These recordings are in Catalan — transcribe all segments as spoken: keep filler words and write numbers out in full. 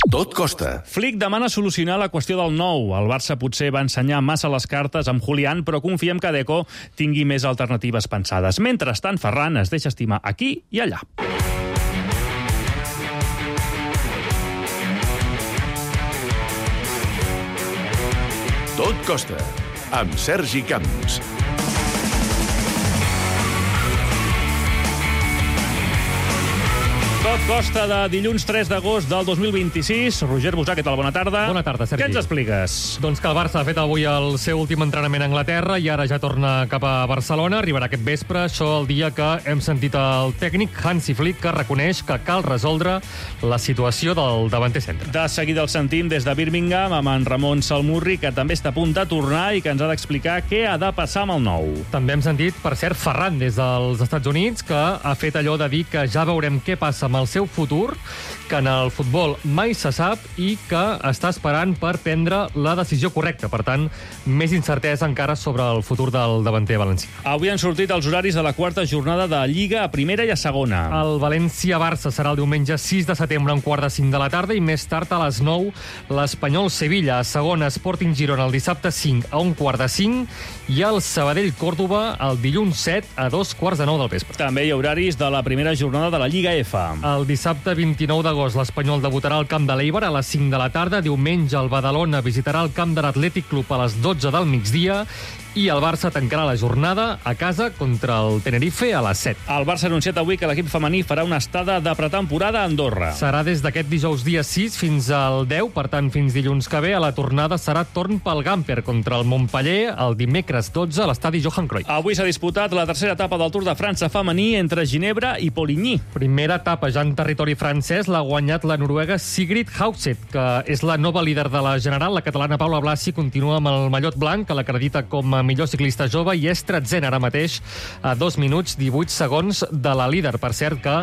Tot costa. Flick demana solucionar la qüestió del nou. El Barça potser va ensenyar massa les cartes amb Julián, però confiem que Deco tingui més alternatives pensades. Mentrestant, Ferran es deixa estimar aquí i allà. Tot costa, amb Sergi Camps. Tot costa de dilluns tres d'agost del dos mil vint-i-sis. Roger Busà, què tal? Bona tarda. Bona tarda, Sergi. Què ens expliques? Doncs que el Barça ha fet avui el seu últim entrenament a Anglaterra i ara ja torna cap a Barcelona. Arribarà aquest vespre, això el dia que hem sentit el tècnic Hansi Flick, que reconeix que cal resoldre la situació del davanter centre. De seguida el sentim des de Birmingham amb en Ramon Salmurri, que també està a punt de tornar i que ens ha d'explicar què ha de passar amb el nou. També hem sentit, per cert, Ferran des dels Estats Units, que ha fet allò de dir que ja veurem què passa amb el seu futur, que en el futbol mai se sap i que està esperant per prendre la decisió correcta. Per tant, més incertesa encara sobre el futur del davanter valencià. Avui han sortit els horaris de la quarta jornada de Lliga a primera i a segona. El València-Barça serà el diumenge sis de setembre a un quart de cinc de la tarda i més tard a les nou l'Espanyol-Sevilla. A segona, Sporting Girona el dissabte cinc a un quart de cinc i el Sabadell-Còrdova el dilluns set a dos quarts de nou del vespre. També hi ha horaris de la primera jornada de la Lliga F. El dissabte vint-i-nou d'agost l'Espanyol debutarà al camp de l'Eibar a les cinc de la tarda. Diumenge el Badalona visitarà el camp de l'Atlètic Club a les dotze del migdia i el Barça tancarà la jornada a casa contra el Tenerife a les set. El Barça ha anunciat avui que l'equip femení farà una estada de pretemporada a Andorra. Serà des d'aquest dijous dia sis fins al deu, per tant fins dilluns que ve. A la tornada serà torn pel Gamper contra el Montpeller el dimecres dotze a l'estadi Johan Cruyff. Avui s'ha disputat la tercera etapa del Tour de França femení entre Ginebra i Poligny. Primera etapa ja en territori francès l'ha guanyat la noruega Sigrid Haugset, que és la nova líder de la general. La catalana Paula Blasi continua amb el mallot blanc, que l'acredita com a millor ciclista jove i és tretzena ara mateix a dos minuts divuit segons de la líder. Per cert que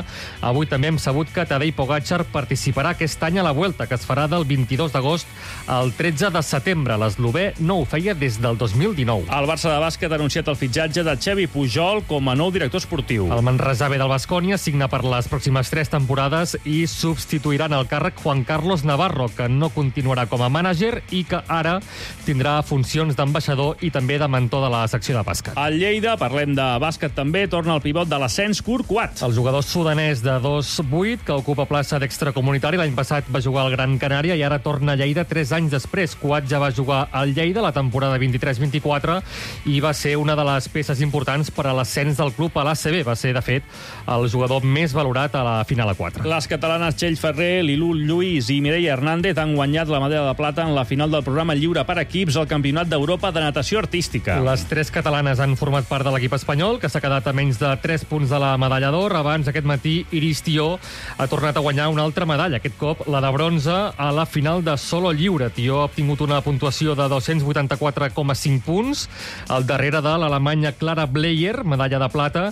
avui també hem sabut que Tadej Pogačar participarà aquest any a la Vuelta, que es farà del vint-i-dos d'agost al tretze de setembre. L'eslovè no ho feia des del dos mil dinou. El Barça de bàsquet ha anunciat el fitxatge de Xevi Pujol com a nou director esportiu. El Manresa B del Baskonia signa per les pròximes tres temporades i substituirà en el càrrec Juan Carlos Navarro, que no continuarà com a mànager i que ara tindrà funcions d'ambaixador i també de mentor de la secció de bàsquet. Al Lleida, parlem de bàsquet també, torna el pivot de l'ascens Kurt Kuat. El jugador sudanès de dos vuit, que ocupa plaça d'extracomunitari, l'any passat va jugar al Gran Canària i ara torna a Lleida tres anys després. Kuat ja va jugar al Lleida la temporada vint-i-tres vint-i-quatre i va ser una de les peces importants per a l'ascens del club a l'A C B. Va ser, de fet, el jugador més valorat a la final a quatre. Les catalanes Txell Ferrer, Lilú Lluís i Mireia Hernández han guanyat la medalla de plata en la final del programa lliure per equips al Campionat d'Europa de Natació Artística. Les tres catalanes han format part de l'equip espanyol, que s'ha quedat a menys de tres punts de la medalla d'or. Abans, aquest matí, Iris Tió ha tornat a guanyar una altra medalla, aquest cop la de bronze a la final de solo lliure. Tió ha obtingut una puntuació de dos-cents vuitanta-quatre coma cinc punts, al darrere de l'alemanya Clara Bleyer, medalla de plata,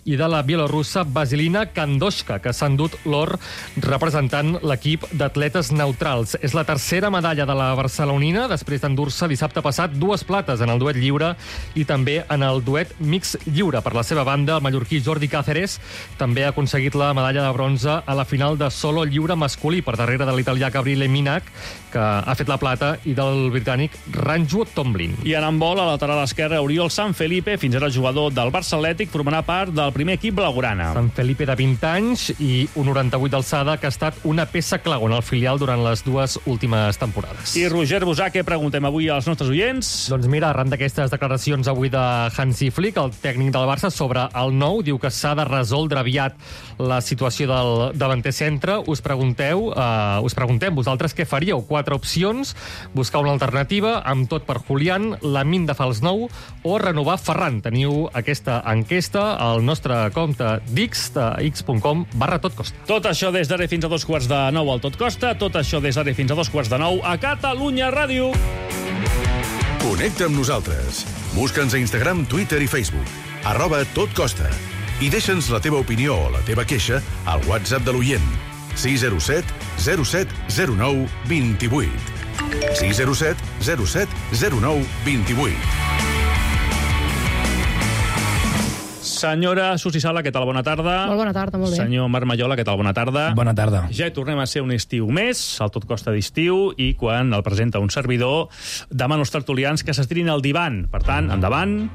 i de la bielorussa Vasilina Kandoshka, que s'ha endut l'or representant l'equip d'atletes neutrals. És la tercera medalla de la barcelonina, després d'endur-se dissabte passat dues plates en el duet lliure i també en el duet mix lliure. Per la seva banda, el mallorquí Jordi Cáceres també ha aconseguit la medalla de bronze a la final de solo lliure masculí, per darrere de l'italià Gabriele Minac, que ha fet la plata, i del britànic Ranju Tomlin. I en handbol, a lateral esquerre, Oriol Sanfelipe, fins ara jugador del Barça Atlètic, formarà part del primer equip blaugrana. Sanfelipe, de vint anys i un noranta-vuit d'alçada, que ha estat una peça clau en el filial durant les dues últimes temporades. I Roger Busà, què preguntem avui als nostres oients? Doncs mira, arran d'aquestes declaracions avui de Hansi Flick, el tècnic del Barça, sobre el nou, diu que s'ha de resoldre aviat la situació del davanter centre. Us pregunteu, eh, us preguntem vosaltres què faríeu? Quatre opcions: buscar una alternativa, amb tot per Julián, Lamine de fals nou o renovar Ferran. Teniu aquesta enquesta al nostre compte d'X, de x punt com barra tot costa. Tot això des d'ara fins a dos quarts de nou al Tot Costa, tot això des d'ara fins a dos quarts de nou a Catalunya Ràdio. Connecta amb nosaltres. Busca'ns a Instagram, Twitter i Facebook. Arroba Tot Costa. I deixa'ns la teva opinió o la teva queixa al WhatsApp de l'oient. sis zero set zero set zero nou dos vuit. sis zero set zero set zero nou dos vuit. Senyora Susi Sala, què tal? Bona tarda. Molt bona tarda, molt bé. Senyor Marc Maiola, què tal? Bona tarda. Bona tarda. Ja hi tornem a ser un estiu més, el Tot Costa d'estiu, i quan el presenta un servidor, demano als tertulians que s'estirin al divan. Per tant, endavant.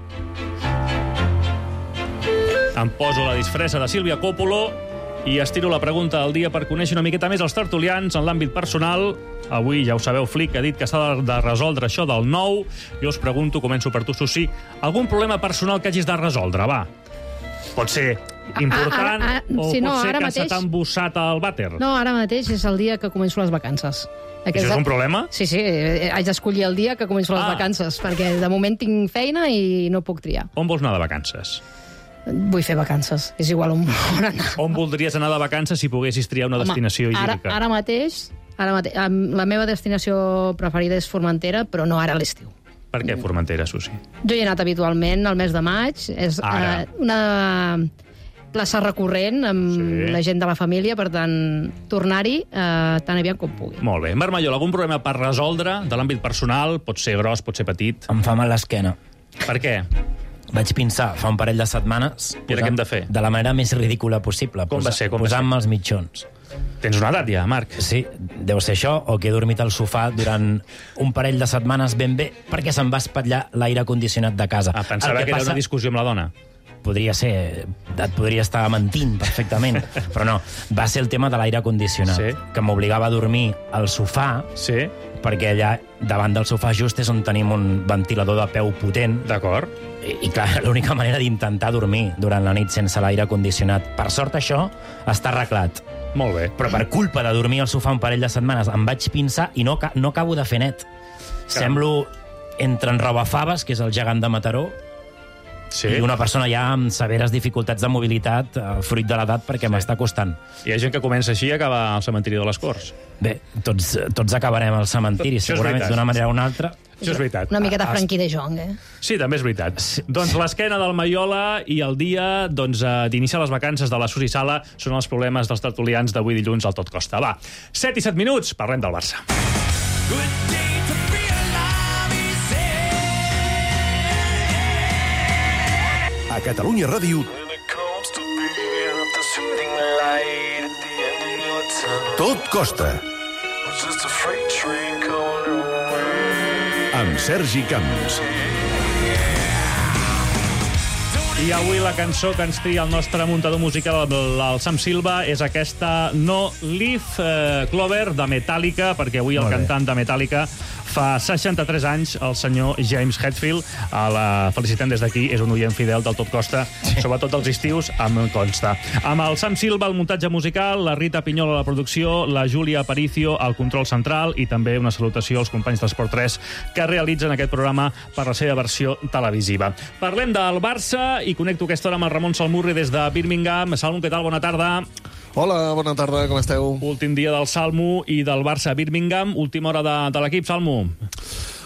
Em poso la disfressa de Sílvia Coppolo i estiro la pregunta del dia per conèixer una miqueta més els tertulians en l'àmbit personal. Avui, ja ho sabeu, Flick ha dit que s'ha de resoldre això del nou. Jo us pregunto, començo per tu, Susi, algun problema personal que hagis de resoldre, va? Pot ser important Ara, ara, o sí, pot no, ser ara que mateix- se t'ha embussat al vàter. No, ara mateix és el dia que començo les vacances. Això és un problema? Sí, sí, eh, haig d'escollir el dia que començo les Ah. vacances, perquè de moment tinc feina i no puc triar. On vols anar de vacances? Vull fer vacances, és igual on, on anar. On voldries anar de vacances si poguessis triar una Home, destinació ara, idíl·lica? ara mateix, ara mateix, em- la meva destinació preferida és Formentera, però no ara a l'estiu. Per què Formentera, Susi? Jo hi he anat habitualment al mes de maig, és Ara. eh, una plaça recurrent amb Sí. la gent de la família, per tant, tornar-hi eh, tan aviat com pugui. Molt bé. Marc Maiola, algun problema per resoldre de l'àmbit personal? Pot ser gros, pot ser petit. Em fa mal l'esquena. Per què? Vaig pensar fa un parell de setmanes... I ara què hem de fer? De la manera més ridícula possible. Com va ser, com va ser? Posant-me els mitjons. Tens una edat ja, Marc. Sí, deu ser això, o que he dormit al sofà durant un parell de setmanes ben bé perquè se'm va espatllar l'aire condicionat de casa. Ah, pensava El que, era passa- una discussió amb la dona. Podria ser, et podria estar mentint perfectament, però no, va ser el tema de l'aire condicionat, Sí. que m'obligava a dormir al sofà, Sí, perquè allà davant del sofà just és on tenim un ventilador de peu potent, d'acord. I, i clar, era l'única manera d'intentar dormir durant la nit sense l'aire condicionat. Per sort això està arreglat. Molt bé. Però per culpa de dormir al sofà un parell de setmanes em vaig pinçar i no, ca- no acabo de fer net. Semblo entre en Robafaves, que és el gegant de Mataró, Sí. i una persona ja amb severes dificultats de mobilitat, eh, fruit de l'edat, perquè m'està costant. Hi ha gent que comença així i acaba al cementiri de les Corts. Bé, tots, tots acabarem al cementiri, Això és segurament veritat. d'una manera o una altra. Això és veritat. Una miqueta Ah, Frankie de Jong, eh? Sí, també és veritat. Sí. Doncs l'esquena del Maiola i el dia doncs, eh, d'iniciar les vacances de la Susi Sala són els problemes dels tertulians d'avui dilluns al Tot Costa. Va, set i set minuts, parlem del Barça. A Catalunya Ràdio, Tot Costa, amb Sergi Camps. I avui la cançó que ens tria el nostre muntador musical, el, el Sam Silva, és aquesta No Leaf eh, Clover de Metallica, perquè avui el Molt bé. cantant de Metallica fa seixanta-tres anys, el senyor James Hetfield. A la felicitem des d'aquí, és un oient fidel del Tot Costa, sí. Sobretot els estius, em consta. Amb el Sam Silva, el muntatge musical, la Rita Pinyol a la producció, la Júlia Aparicio al control central i també una salutació als companys d'Esport tres que realitzen aquest programa per la seva versió televisiva. Parlem del Barça i connecto aquesta hora amb el Ramon Salmurri des de Birmingham. Salmo, què tal? Bona tarda. Hola, bona tarda, com esteu? Últim dia del Salmo i del Barça a Birmingham. Última hora de, de l'equip, Salmo.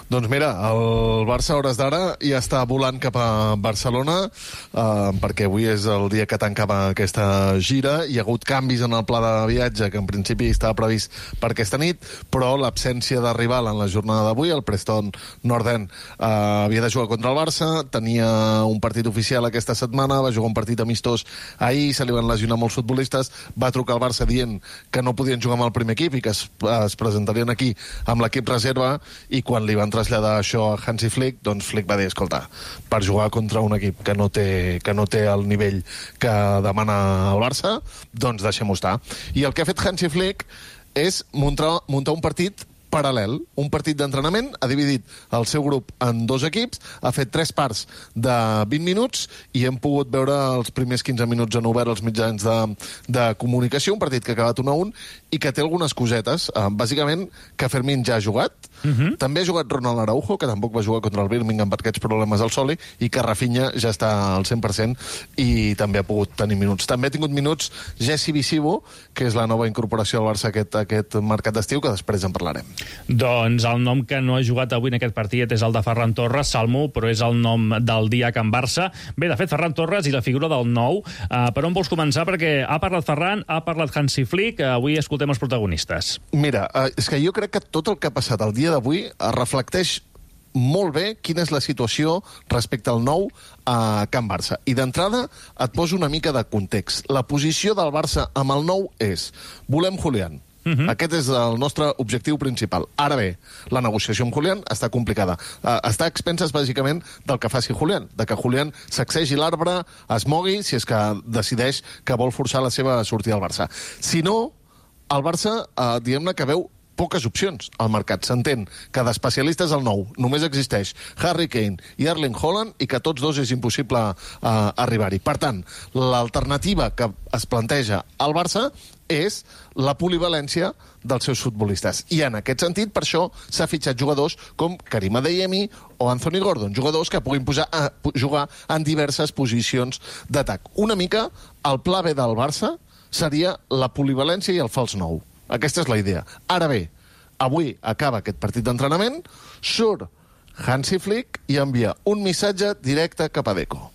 Doncs mira, el Barça a hores d'ara ja està volant cap a Barcelona eh, perquè avui és el dia que tancava aquesta gira. Hi ha hagut canvis en el pla de viatge que en principi estava previst per aquesta nit, però l'absència de rival en la jornada d'avui, el Preston North End eh, havia de jugar contra el Barça, tenia un partit oficial aquesta setmana, va jugar un partit amistós ahir, se li van lesionar molts futbolistes, va trucar al Barça dient que no podien jugar amb el primer equip i que es, es presentarien aquí amb l'equip reserva, i quan li van traslladar això a Hansi Flick, doncs Flick va dir, escolta, per jugar contra un equip que no té, que no té el nivell que demana el Barça, doncs deixem-ho estar. I el que ha fet Hansi Flick és muntar, muntar un partit paral·lel, un partit d'entrenament, ha dividit el seu grup en dos equips, ha fet tres parts de vint minuts i hem pogut veure els primers quinze minuts en obert els mitjans de, de comunicació, un partit que ha acabat un a un i que té algunes cosetes. Eh, bàsicament, que Fermín ja ha jugat, uh-huh. També ha jugat Ronald Araujo, que tampoc va jugar contra el Birmingham per aquests problemes al Soli, i que Rafinha ja està al cent per cent i també ha pogut tenir minuts. També ha tingut minuts Jesse Visivo, que és la nova incorporació al Barça aquest, aquest mercat d'estiu, que després en parlarem. Doncs el nom que no ha jugat avui en aquest partit és el de Ferran Torres, Salmo, però és el nom del dia a Can Barça. Bé, de fet, Ferran Torres i la figura del nou. Uh, per on vols començar? Perquè ha parlat Ferran, ha parlat Hansi Flick, uh, avui escoltem els protagonistes. Mira, eh, és que jo crec que tot el que ha passat el dia d'avui es reflecteix molt bé quina és la situació respecte al nou a Can Barça. I d'entrada et poso una mica de context. La posició del Barça amb el nou és: volem Julián. Uh-huh. Aquest és el nostre objectiu principal. Ara bé, la negociació amb Julián està complicada. Uh, està a expenses, bàsicament, del que faci Julián, de que Julián sacsegi l'arbre, es mogui, si és que decideix que vol forçar la seva sortida al Barça. Si no, el Barça, uh, diguem-ne que veu poques opcions al mercat. S'entén que d'especialistes al nou només existeix Harry Kane i Erling Haaland i que tots dos és impossible uh, arribar-hi. Per tant, l'alternativa que es planteja al Barça és la polivalència dels seus futbolistes. I en aquest sentit, per això, s'ha fitxat jugadors com Karim Adeyemi o Anthony Gordon, jugadors que puguin posar a jugar en diverses posicions d'atac. Una mica, el pla B del Barça seria la polivalència i el fals nou. Aquesta és la idea. Ara bé, avui acaba aquest partit d'entrenament, surt Hansi Flick i envia un missatge directe cap a Deco.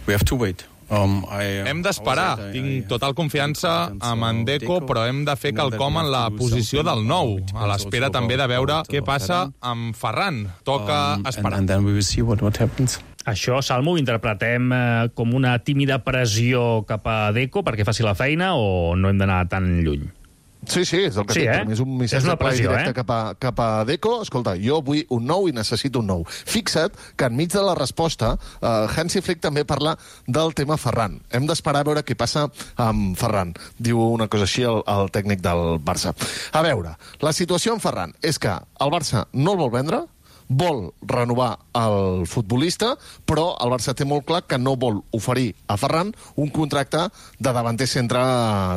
We have to wait. Um, I, hem d'esperar. Tinc total confiança amb en Deco, però hem de fer quelcom en la posició del nou, a l'espera també de veure què passa amb Ferran. Toca esperar. And then we will see what, what happens. Això, Salmo, ho interpretem eh, com una tímida pressió cap a Deco perquè faci la feina o no hem d'anar tan lluny? Sí, sí, és el que sí, tinc. Eh? És un missatge és una pressió, directe eh? cap, a, cap a Deco. Escolta, jo vull un nou i necessito un nou. Fixa't que enmig de la resposta eh, Hansi Flick també parla del tema Ferran. Hem d'esperar a veure què passa amb Ferran. Diu una cosa així el, el tècnic del Barça. A veure, la situació amb Ferran és que el Barça no el vol vendre, vol renovar el futbolista, però el Barça té molt clar que no vol oferir a Ferran un contracte de davanter centre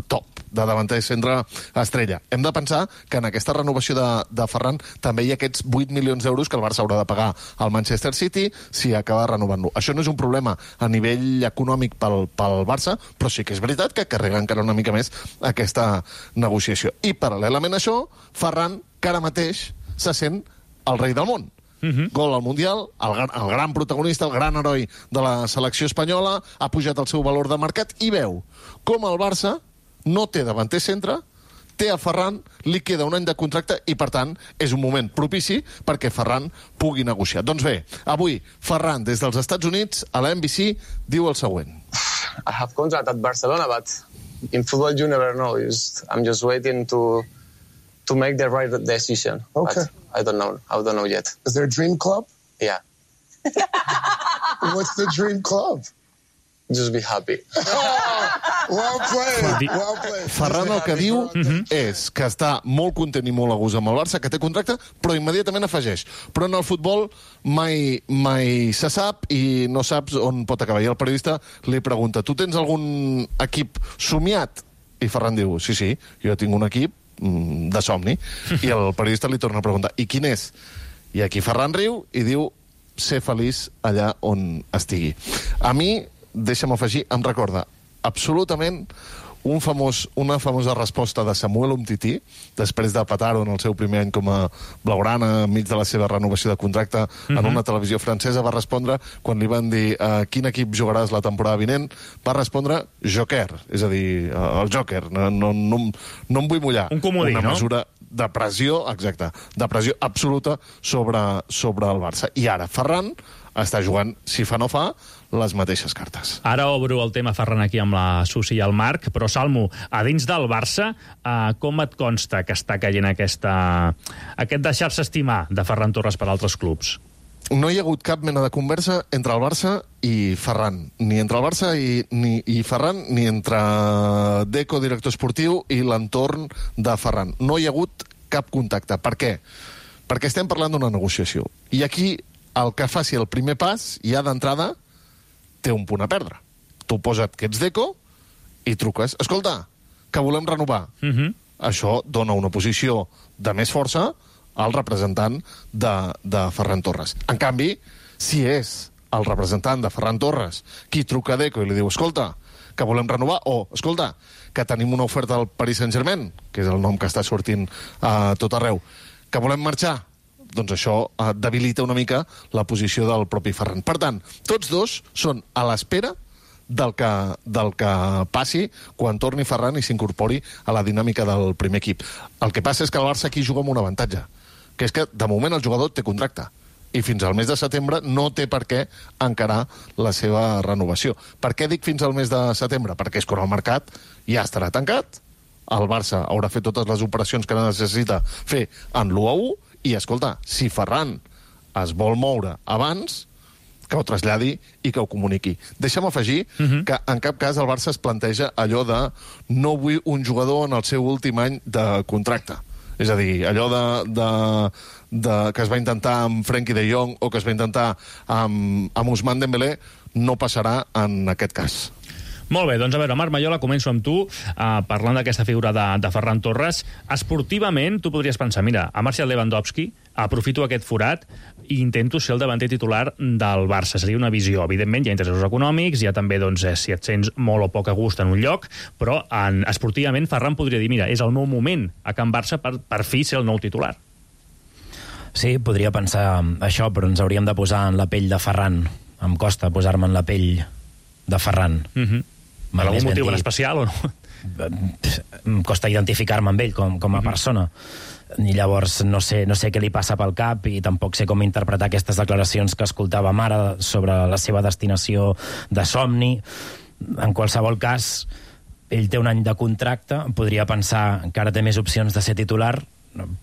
top, de davanter centre estrella. Hem de pensar que en aquesta renovació de, de Ferran també hi ha aquests vuit milions d'euros que el Barça haurà de pagar al Manchester City si acaba renovant-lo. Això no és un problema a nivell econòmic pel, pel Barça, però sí que és veritat que carrega encara una mica més aquesta negociació. I paral·lelament a això, Ferran, que ara mateix se sent el rei del món. Uh-huh. Gol al Mundial, el, el gran protagonista, el gran heroi de la selecció espanyola, ha pujat el seu valor de mercat i veu com el Barça no té davanter centre, té a Ferran, li queda un any de contracte i, per tant, és un moment propici perquè Ferran pugui negociar. Doncs bé, avui Ferran, des dels Estats Units, a la N B C, diu el següent. I have contract at Barcelona, but in football you never know. Just, I'm just waiting to to make the right decision. Okay. But I don't know. I don't know yet. Is there a dream club? Yeah. What's the dream club? Just be happy. Oh, well played, well played. Ferran el que diu uh-huh. és que està molt content i molt a gust amb el Barça, que té contracte, però immediatament afegeix. Però en el futbol mai, mai se sap i no saps on pot acabar. I el periodista li pregunta, tu tens algun equip somiat? I Ferran diu, sí, sí, jo tinc un equip de somni. I el periodista li torna a preguntar, i quin és? I aquí Ferran riu i diu, ser feliç allà on estigui. A mi, deixa'm afegir, em recorda absolutament un famós, una famosa resposta de Samuel Umtiti, després de petar-ho en el seu primer any com a blaugrana, enmig de la seva renovació de contracte, uh-huh. en una televisió francesa, va respondre, quan li van dir uh, quin equip jugaràs la temporada vinent, va respondre Joker, és a dir, uh, el Joker, no, no, no, no em vull mullar. Un comodí, una no? mesura de pressió, exacte, de pressió absoluta sobre, sobre el Barça. I ara Ferran està jugant, si fa no fa, les mateixes cartes. Ara obro el tema Ferran aquí amb la Susi i el Marc, però Salmo, a dins del Barça, eh, com et consta que està caient aquesta, aquest deixar-se estimar de Ferran Torres per altres clubs? No hi ha hagut cap mena de conversa entre el Barça i Ferran. Ni entre el Barça i, ni, i Ferran, ni entre Deco, director esportiu, i l'entorn de Ferran. No hi ha hagut cap contacte. Per què? Perquè estem parlant d'una negociació. I aquí el que faci el primer pas, ja d'entrada, té un punt a perdre. Tu posa't que ets Deco i truques. Escolta, que volem renovar. Uh-huh. Això dona una posició de més força al representant de, de Ferran Torres. En canvi, si és el representant de Ferran Torres qui truca a Deco i li diu, escolta, que volem renovar, o, escolta, que tenim una oferta al Paris Saint-Germain, que és el nom que està sortint a tot arreu, que volem marxar, doncs això eh, debilita una mica la posició del propi Ferran. Per tant, tots dos són a l'espera del que, del que passi quan torni Ferran i s'incorpori a la dinàmica del primer equip. El que passa és que el Barça aquí juga amb un avantatge, que és que de moment el jugador té contracte i fins al mes de setembre no té per què encarar la seva renovació. Per què dic fins al mes de setembre? Perquè és quan el mercat ja estarà tancat, el Barça haurà fet totes les operacions que necessita fer en l'u a u, i, escolta, si Ferran es vol moure abans, que ho traslladi i que ho comuniqui. Deixa'm afegir uh-huh. que en cap cas el Barça es planteja allò de no vull un jugador en el seu últim any de contracte. És a dir, allò de, de, de, que es va intentar amb Frenkie de Jong o que es va intentar amb, amb Ousmane Dembélé no passarà en aquest cas. Molt bé, doncs a veure, Marc Maiola, començo amb tu, uh, parlant d'aquesta figura de, de Ferran Torres. Esportivament, tu podries pensar, mira, a Marcel Lewandowski, aprofito aquest forat i intento ser el davanter titular del Barça. Seria una visió. Evidentment, hi ha interessos econòmics, hi ha també, doncs, si et sents molt o poc a gust en un lloc, però en, esportivament Ferran podria dir, mira, és el nou moment a Can Barça per, per fi ser el nou titular. Sí, podria pensar això, però ens hauríem de posar en la pell de Ferran. Em costa posar-me en la pell de Ferran. Mhm. Per algun motiu en especial o no? Em costa identificar-me amb ell com, com a mm-hmm. persona. I llavors no sé, no sé què li passa pel cap i tampoc sé com interpretar aquestes declaracions que escoltàvem ara sobre la seva destinació de somni. En qualsevol cas, ell té un any de contracte, podria pensar que ara té més opcions de ser titular,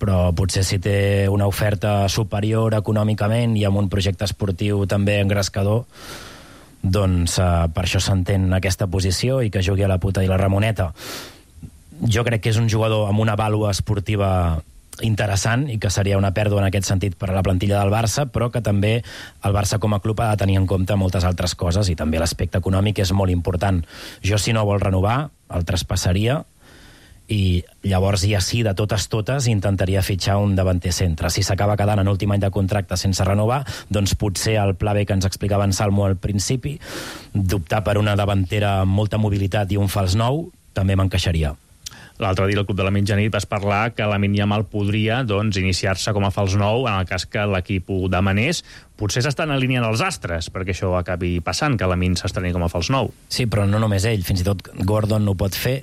però potser si té una oferta superior econòmicament i amb un projecte esportiu també engrescador, doncs uh, per això s'entén aquesta posició i que jugui a la puta i la Ramoneta. Jo crec que és un jugador amb una vàlua esportiva interessant i que seria una pèrdua en aquest sentit per a la plantilla del Barça, però que també el Barça com a club ha de tenir en compte moltes altres coses i també l'aspecte econòmic és molt important. Jo, si no vol renovar, el traspassaria i llavors ja sí, de totes totes, intentaria fitxar un davanter centre. Si s'acaba quedant en últim any de contracte sense renovar, doncs potser el pla B que ens explicava en Salmo al principi, d'optar per una davantera amb molta mobilitat i un fals nou, també m'encaixaria. L'altre dia al Club de la Mitjanit vas parlar que Lamine Yamal podria doncs, iniciar-se com a fals nou en el cas que l'equip ho demanés. Potser s'estan alineant els astres perquè això acabi passant, que Lamine s'estreni com a fals nou. Sí, però no només ell, fins i tot Gordon ho pot fer,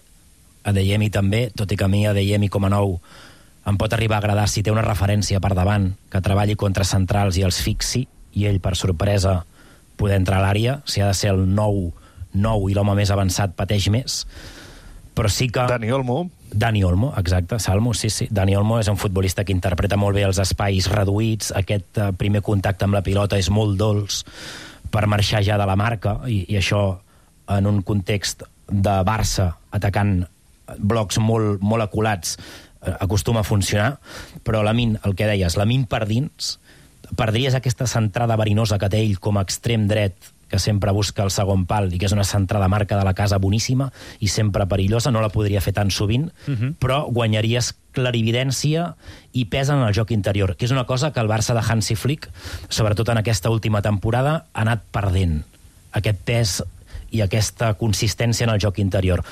Adeyemi també, tot i que a mi Adeyemi com a nou em pot arribar a agradar si té una referència per davant, que treballi contra centrals i els fixi, i ell, per sorpresa, poder entrar a l'àrea. Si ha de ser el nou, nou i l'home més avançat pateix més. Però sí que... Dani Olmo. Dani Olmo, exacte, Salmo, sí, sí. Dani Olmo és un futbolista que interpreta molt bé els espais reduïts, aquest uh, primer contacte amb la pilota és molt dolç per marxar ja de la marca, i, i això en un context de Barça atacant blocs molt, molt aculats acostuma a funcionar, però Lamine, el que deies, Lamine per dins, perdries aquesta centrada verinosa que té ell com a extrem dret, que sempre busca el segon pal i que és una centrada marca de la casa boníssima i sempre perillosa, no la podria fer tan sovint, uh-huh. però guanyaries clarividència i pes en el joc interior, que és una cosa que el Barça de Hansi Flick, sobretot en aquesta última temporada, ha anat perdent. Aquest pes i aquesta consistència en el joc interior.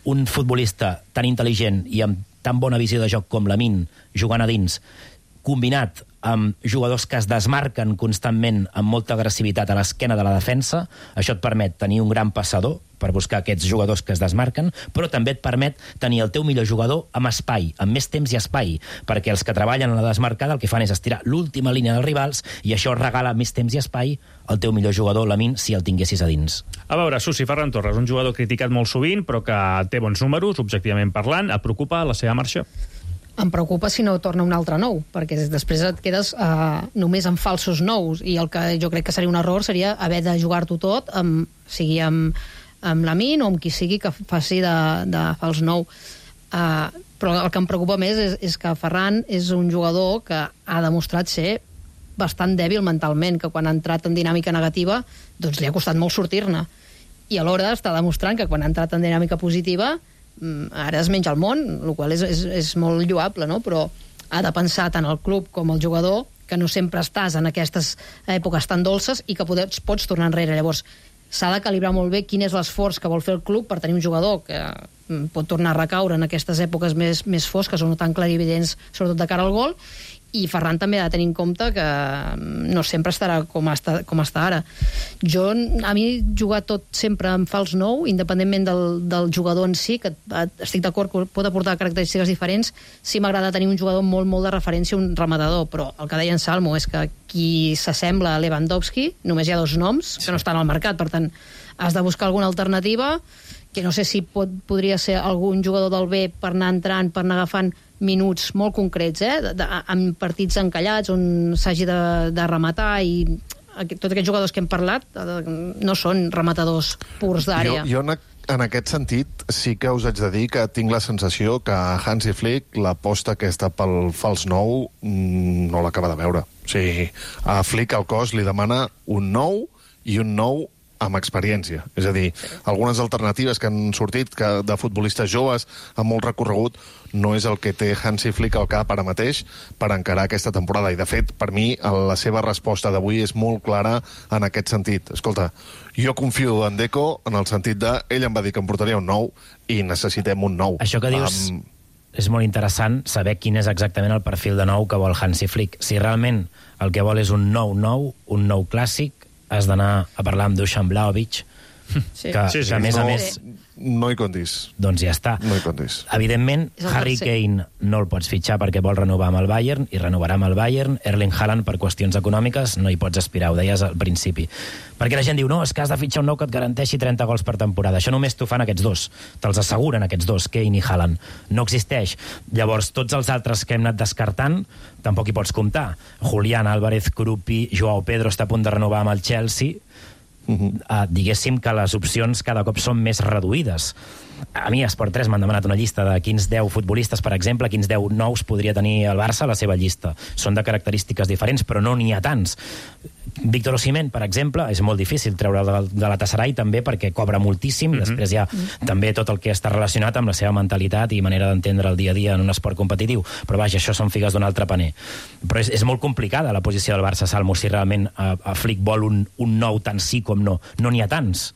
Un futbolista tan intel·ligent i amb tan bona visió de joc com Lamine, jugant a dins, combinat amb jugadors que es desmarquen constantment amb molta agressivitat a l'esquena de la defensa, això et permet tenir un gran passador per buscar aquests jugadors que es desmarquen, però també et permet tenir el teu millor jugador amb espai, amb més temps i espai, perquè els que treballen a la desmarcada el que fan és estirar l'última línia dels rivals i això regala més temps i espai al teu millor jugador, Lamine, si el tinguessis a dins. A veure, Susi, Ferran Torres, un jugador criticat molt sovint, però que té bons números, objectivament parlant, et preocupa la seva marxa? Em preocupa si no torna un altre nou, perquè després et quedes uh, només amb falsos nous, i el que jo crec que seria un error seria haver de jugar-t'ho tot, amb, sigui amb, amb Lamine o amb qui sigui que faci de, de fals nou. Uh, però el que em preocupa més és, és que Ferran és un jugador que ha demostrat ser bastant dèbil mentalment, que quan ha entrat en dinàmica negativa doncs li ha costat molt sortir-ne. I alhora està demostrant que quan ha entrat en dinàmica positiva ara es menja el món, el qual és, és, és molt lloable, no? Però ha de pensar tant el club com el jugador que no sempre estàs en aquestes èpoques tan dolces i que pots, pots tornar enrere. Llavors, s'ha de calibrar molt bé quin és l'esforç que vol fer el club per tenir un jugador que pot tornar a recaure en aquestes èpoques més, més fosques o no tan clarividents, sobretot de cara al gol, i Ferran també ha de tenir en compte que no sempre estarà com està, com està ara. Jo, a mi, jugar tot sempre en fals nou, independentment del, del jugador en si, que estic d'acord que pot aportar característiques diferents, sí m'agrada tenir un jugador molt, molt de referència, un rematador, però el que deia en Salmo és que qui s'assembla a Lewandowski, només hi ha dos noms que no estan al mercat, per tant, has de buscar alguna alternativa, que no sé si pot, podria ser algun jugador del B per anar entrant, per anar agafant minuts molt concrets, eh? de, de, en partits encallats on s'hagi de, de rematar, i aquest, tots aquests jugadors que hem parlat no són rematadors purs d'àrea. Jo, jo en, en aquest sentit sí que us haig de dir que tinc la sensació que Hansi Flick l'aposta aquesta pel fals nou no l'acaba de veure. O sigui, a Flick el cos li demana un nou i un nou amb experiència. És a dir, algunes alternatives que han sortit que de futbolistes joves amb molt recorregut no és el que té Hansi Flick al cap ara mateix per encarar aquesta temporada. I, de fet, per mi, la seva resposta d'avui és molt clara en aquest sentit. Escolta, jo confio en Deco en el sentit de ell em va dir que em portaria un nou i necessitem un nou. Això que dius... Um... és molt interessant saber quin és exactament el perfil de nou que vol Hansi Flick. Si realment el que vol és un nou nou, un nou clàssic, has d'anar a parlar amb Dusan Vlahovic, sí. que, Sí, sí. que a més no, a més... No hi comptis. Doncs ja està. No hi comptis. Evidentment, Harry Kane no el pots fitxar perquè vol renovar amb el Bayern, i renovarà amb el Bayern. Erling Haaland, per qüestions econòmiques, no hi pots aspirar, ho deies al principi. Perquè la gent diu, no, és que has de fitxar un nou que et garanteixi trenta gols per temporada. Això només t'ho fan aquests dos. Te'ls asseguren aquests dos, Kane i Haaland. No existeix. Llavors, tots els altres que hem anat descartant, tampoc hi pots comptar. Julián Álvarez, Krupi, Joao Pedro està a punt de renovar amb el Chelsea. Uh-huh. Uh, diguéssim que les opcions cada cop són més reduïdes. A mi, a Esport tres m'han demanat una llista de quins deu futbolistes, per exemple, quins deu nous podria tenir el Barça a la seva llista. Són de característiques diferents, però no n'hi ha tants. Víctor Osimhen, per exemple, és molt difícil treure de, de la Galatasaray també perquè cobra moltíssim, mm-hmm. després hi ha mm-hmm. també tot el que està relacionat amb la seva mentalitat i manera d'entendre el dia a dia en un esport competitiu. Però vaja, això són figues d'un altre paner. Però és, és molt complicada la posició del Barça, Salmo, si realment a, a Flick vol un, un nou tant sí com no. No n'hi ha tants.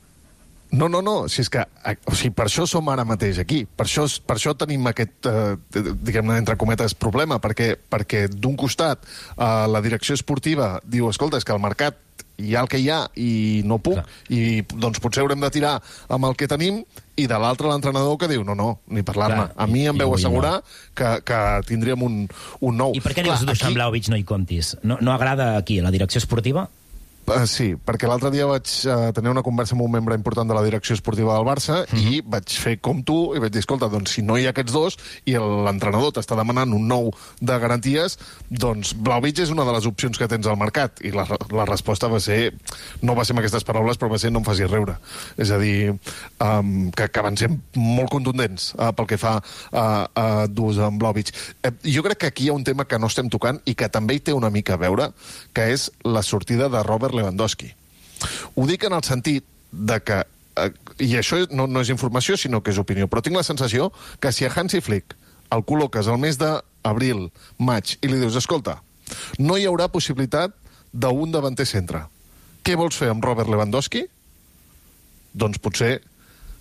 No, no, no, si és que o sigui, per això som ara mateix aquí, per això, per això tenim aquest, eh, diguem-ne, entre cometes, problema, perquè, perquè d'un costat eh, la direcció esportiva diu, escolta, és que el mercat hi ha el que hi ha i no puc, clar. I doncs potser haurem de tirar amb el que tenim, i de l'altre l'entrenador que diu, no, no, ni parlar-ne. A mi em veu assegurar no. que, que tindríem un, un nou. I per què dius Dusan Vlahovic no hi comptis? No, no agrada aquí, a la direcció esportiva? Uh, sí, perquè l'altre dia vaig uh, tenir una conversa amb un membre important de la direcció esportiva del Barça mm-hmm. i vaig fer com tu i vaig dir, escolta, doncs si no hi ha aquests dos i l'entrenador t'està demanant un nou de garanties, doncs Vlahovic és una de les opcions que tens al mercat. I la, la resposta va ser, no va ser amb aquestes paraules, però va ser no em facis riure. És a dir, um, que, que van ser molt contundents uh, pel que fa a uh, uh, Dusan Vlahovic. Uh, jo crec que aquí hi ha un tema que no estem tocant i que també hi té una mica a veure, que és la sortida de Robert Lewandowski. Ho dic en el sentit de que, eh, i això no, no és informació, sinó que és opinió, però tinc la sensació que si a Hansi Flick el col·loques al mes d'abril, maig, i li dius, escolta, no hi haurà possibilitat d'un davanter centre. Què vols fer amb Robert Lewandowski? Doncs potser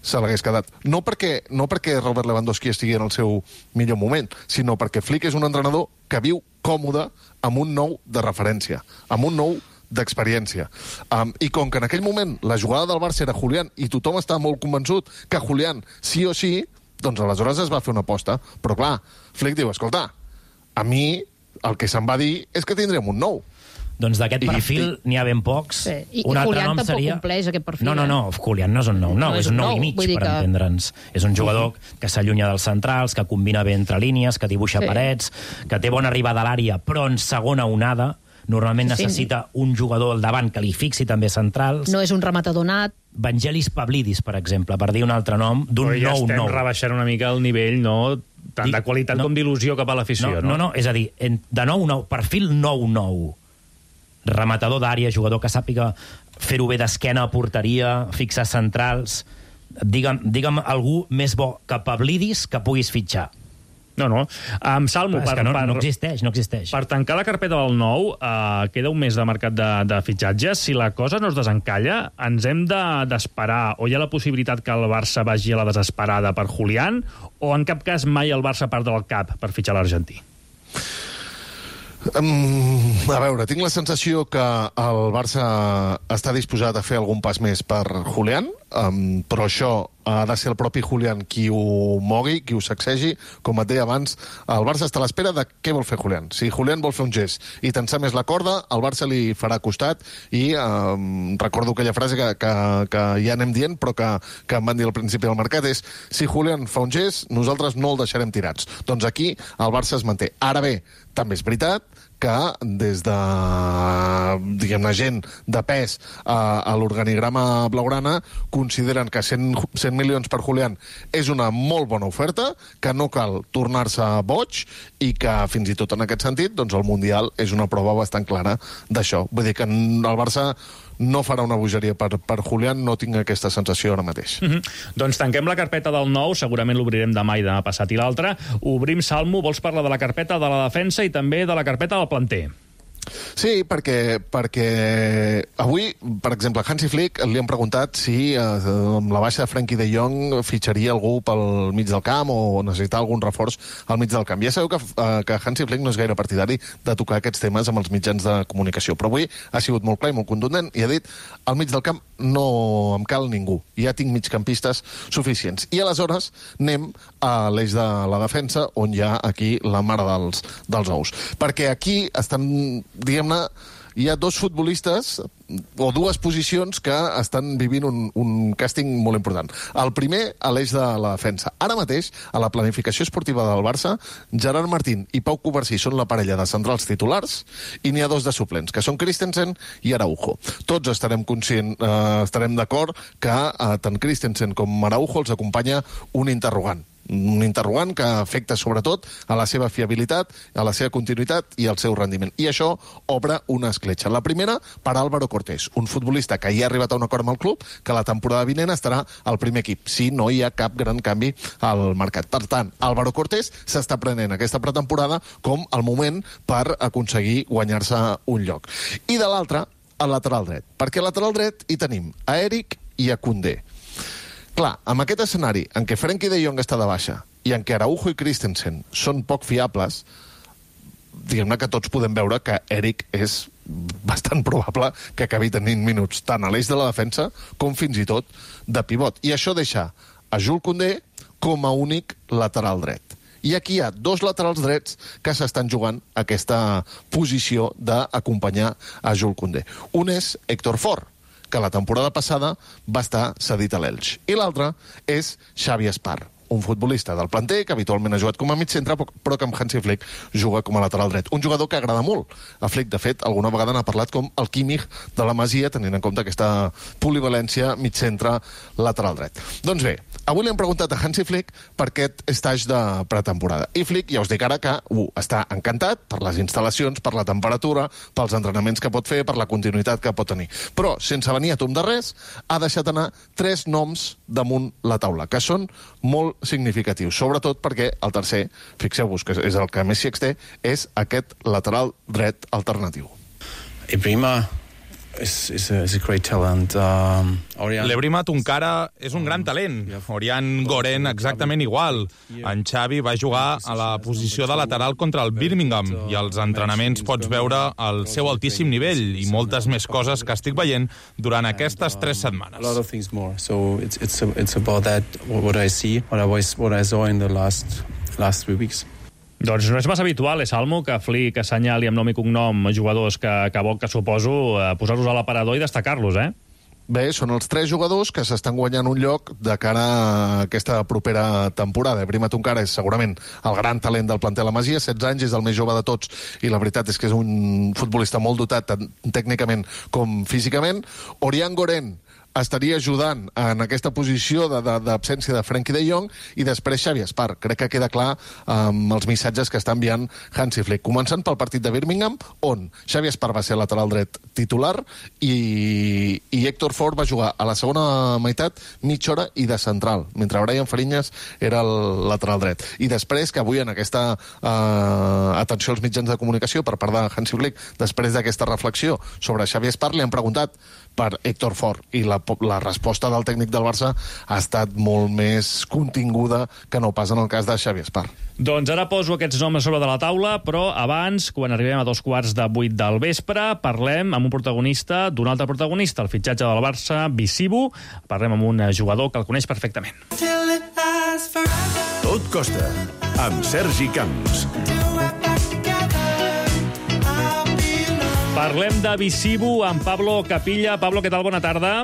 se l'hagués quedat. No perquè, no perquè Robert Lewandowski estigui en el seu millor moment, sinó perquè Flick és un entrenador que viu còmode amb un nou de referència, amb un nou d'experiència. Um, I com que en aquell moment la jugada del Barça era Julián i tothom estava molt convençut que Julián sí o sí, doncs aleshores es va fer una aposta. Però clar, Flick diu, escolta, a mi el que se'm va dir és que tindrem un nou. Doncs d'aquest perfil n'hi ha ben pocs. Sí. I, un i altre Julián nom tampoc seria... compleix aquest perfil. No, no, no, Julián no és un nou, no, no és un nou, nou i mig, per que... entendre'ns. És un jugador que s'allunya dels centrals, que combina bé entre línies, que dibuixa sí. parets, que té bona arribada a l'àrea, però en segona onada. Normalment sí, necessita sí. un jugador al davant que li fixi també centrals. No és un rematador nat. Vangelis Pavlidis, per exemple, per dir un altre nom, d'un nou nou. Però ja estem rebaixant una mica el nivell, no? Tant Dic, de qualitat no, com d'il·lusió cap a l'afició, no, no? No, no, és a dir, en, de nou nou, perfil nou nou. Rematador d'àrea, jugador que sàpiga fer-ho bé d'esquena a porteria, fixar centrals. Digue'm, digue'm algú més bo que Pavlidis que puguis fitxar. No, no. Um, Salmo, per, per, no, per, no existeix, no existeix. Per tancar la carpeta del nou, uh, queda un mes de mercat de, de fitxatges. Si la cosa no es desencalla, ens hem d'esperar, de, o hi ha la possibilitat que el Barça vagi a la desesperada per Julián, o en cap cas mai el Barça part del cap per fitxar l'argentí? Um, a veure, tinc la sensació que el Barça està disposat a fer algun pas més per Julián, um, però això ha de ser el propi Julián qui ho mogui, qui ho sacsegi. Com et deia abans, el Barça està a l'espera de què vol fer Julián. Si Julián vol fer un gest i tensar més la corda, el Barça li farà costat i um, recordo aquella frase que, que, que ja anem dient, però que, que em van dir al principi del mercat, és si Julián fa un gest, nosaltres no el deixarem tirats. Doncs aquí el Barça es manté. Ara bé, també és veritat que des de, diguem-ne, gent de pes a, a l'organigrama blaugrana consideren que cent, cent milions per Julián és una molt bona oferta, que no cal tornar-se boig i que fins i tot en aquest sentit doncs el Mundial és una prova bastant clara d'això. Vull dir que el Barça no farà una bogeria per, per Julián, no tinc aquesta sensació ara mateix. Mm-hmm. Doncs tanquem la carpeta del nou, segurament l'obrirem demà i demà passat i l'altre. Obrim, Salmo, vols parlar de la carpeta de la defensa i també de la carpeta del planter? Sí, perquè, perquè avui, per exemple, Hansi Flick li han preguntat si eh, amb la baixa de Frenkie de Jong fitxaria algú pel mig del camp o necessitar algun reforç al mig del camp. Ja sabeu que, eh, que Hansi Flick no és gaire partidari de tocar aquests temes amb els mitjans de comunicació, però avui ha sigut molt clar i molt contundent i ha dit al mig del camp no em cal ningú, ja tinc migcampistes suficients. I aleshores anem a l'eix de la defensa on hi ha aquí la mare dels, dels ous. Perquè aquí estan, diguem-ne, hi ha dos futbolistes o dues posicions que estan vivint un, un càsting molt important. El primer, a l'eix de la defensa. Ara mateix, a la planificació esportiva del Barça, Gerard Martín i Pau Covarsí són la parella de centrals titulars i n'hi ha dos de suplents, que són Christensen i Araujo. Tots estarem conscient, eh, estarem d'acord que eh, tant Christensen com Araujo els acompanya un interrogant. Un interrogant que afecta sobretot a la seva fiabilitat, a la seva continuïtat i al seu rendiment. I això obre una escletxa. La primera, per Álvaro Cortés, un futbolista que ja ha arribat a un acord amb el club, que la temporada vinent estarà al primer equip, si no hi ha cap gran canvi al mercat. Per tant, Álvaro Cortés s'està prenent aquesta pretemporada com el moment per aconseguir guanyar-se un lloc. I de l'altre, el lateral dret. Perquè al lateral dret hi tenim a Eric i a Koundé. Clar, amb aquest escenari en què Frenkie de Jong està de baixa i en què Araujo i Christensen són poc fiables, diguem-ne que tots podem veure que Eric és bastant probable que acabi tenint minuts tant a l'eix de la defensa com fins i tot de pivot. I això deixa a Jules Koundé com a únic lateral dret. I aquí hi ha dos laterals drets que s'estan jugant aquesta posició d'acompanyar a Jules Koundé. Un és Héctor Fort, que la temporada passada va estar cedit a l'Elx. I l'altre és Xavi Espar, un futbolista del planter que habitualment ha jugat com a mig centre, però que amb Hansi Flick juga com a lateral dret. Un jugador que agrada molt. A Flick, de fet, alguna vegada n'ha parlat com el Kimmich de la Masia, tenint en compte aquesta polivalència mig centre lateral dret. Doncs bé, avui li hem preguntat a Hansi Flick per aquest estatge de pretemporada. I Flick, ja us dic ara que uh, està encantat per les instal·lacions, per la temperatura, pels entrenaments que pot fer, per la continuïtat que pot tenir. Però, sense venir a tomb de res, ha deixat anar tres noms damunt la taula, que són molt significatius, sobretot perquè el tercer, fixeu-vos que és el que més s'hi exté, és aquest lateral dret alternatiu. Ebrima is, is, a, is a great talent. Um, L'Ebrima Tunkara és un gran talent. Orián Goren exactament igual. En Xavi va jugar a la posició de lateral contra el Birmingham i als entrenaments pots veure el seu altíssim nivell i moltes més coses que estic veient durant aquestes tres setmanes. A lot of things more. So it's it's it's about that what I see, what I was what I saw in the last last three weeks. Doncs no és massa habitual, eh, Salmo, que Flick assenyali amb nom i cognom jugadors que, que vol, que suposo, eh, posar-los a l'aparador i destacar-los, eh? Bé, són els tres jugadors que s'estan guanyant un lloc de cara a aquesta propera temporada. Ebrima Tunkara és segurament el gran talent del planter La Masia, setze anys, és el més jove de tots, i la veritat és que és un futbolista molt dotat tant tècnicament com físicament. Orián Goren estaria ajudant en aquesta posició d'absència de, de Frenkie de Jong, i després Xavi Espar. Crec que queda clar amb els missatges que està enviant Hansi Flick. Començant pel partit de Birmingham, on Xavi Espar va ser lateral dret titular i, i Héctor Fort va jugar a la segona meitat mitja hora i de central, mentre Brian Fariñas era el lateral dret. I després, que avui en aquesta eh, atenció als mitjans de comunicació per part de Hansi Flick, després d'aquesta reflexió sobre Xavi Espar, li han preguntat per Héctor Fort, i la la resposta del tècnic del Barça ha estat molt més continguda que no pas en el cas de Xavi Espart. Doncs ara poso aquests noms sobre de la taula, però abans, quan arribem a dos quarts de vuit del vespre, parlem amb un protagonista d'un altre protagonista, el fitxatge del Barça, Bizibu. Parlem amb un jugador que el coneix perfectament. Tot costa, amb Sergi Camps. Parlem de Bizibu amb Pablo Capilla. Pablo, què tal? Bona tarda.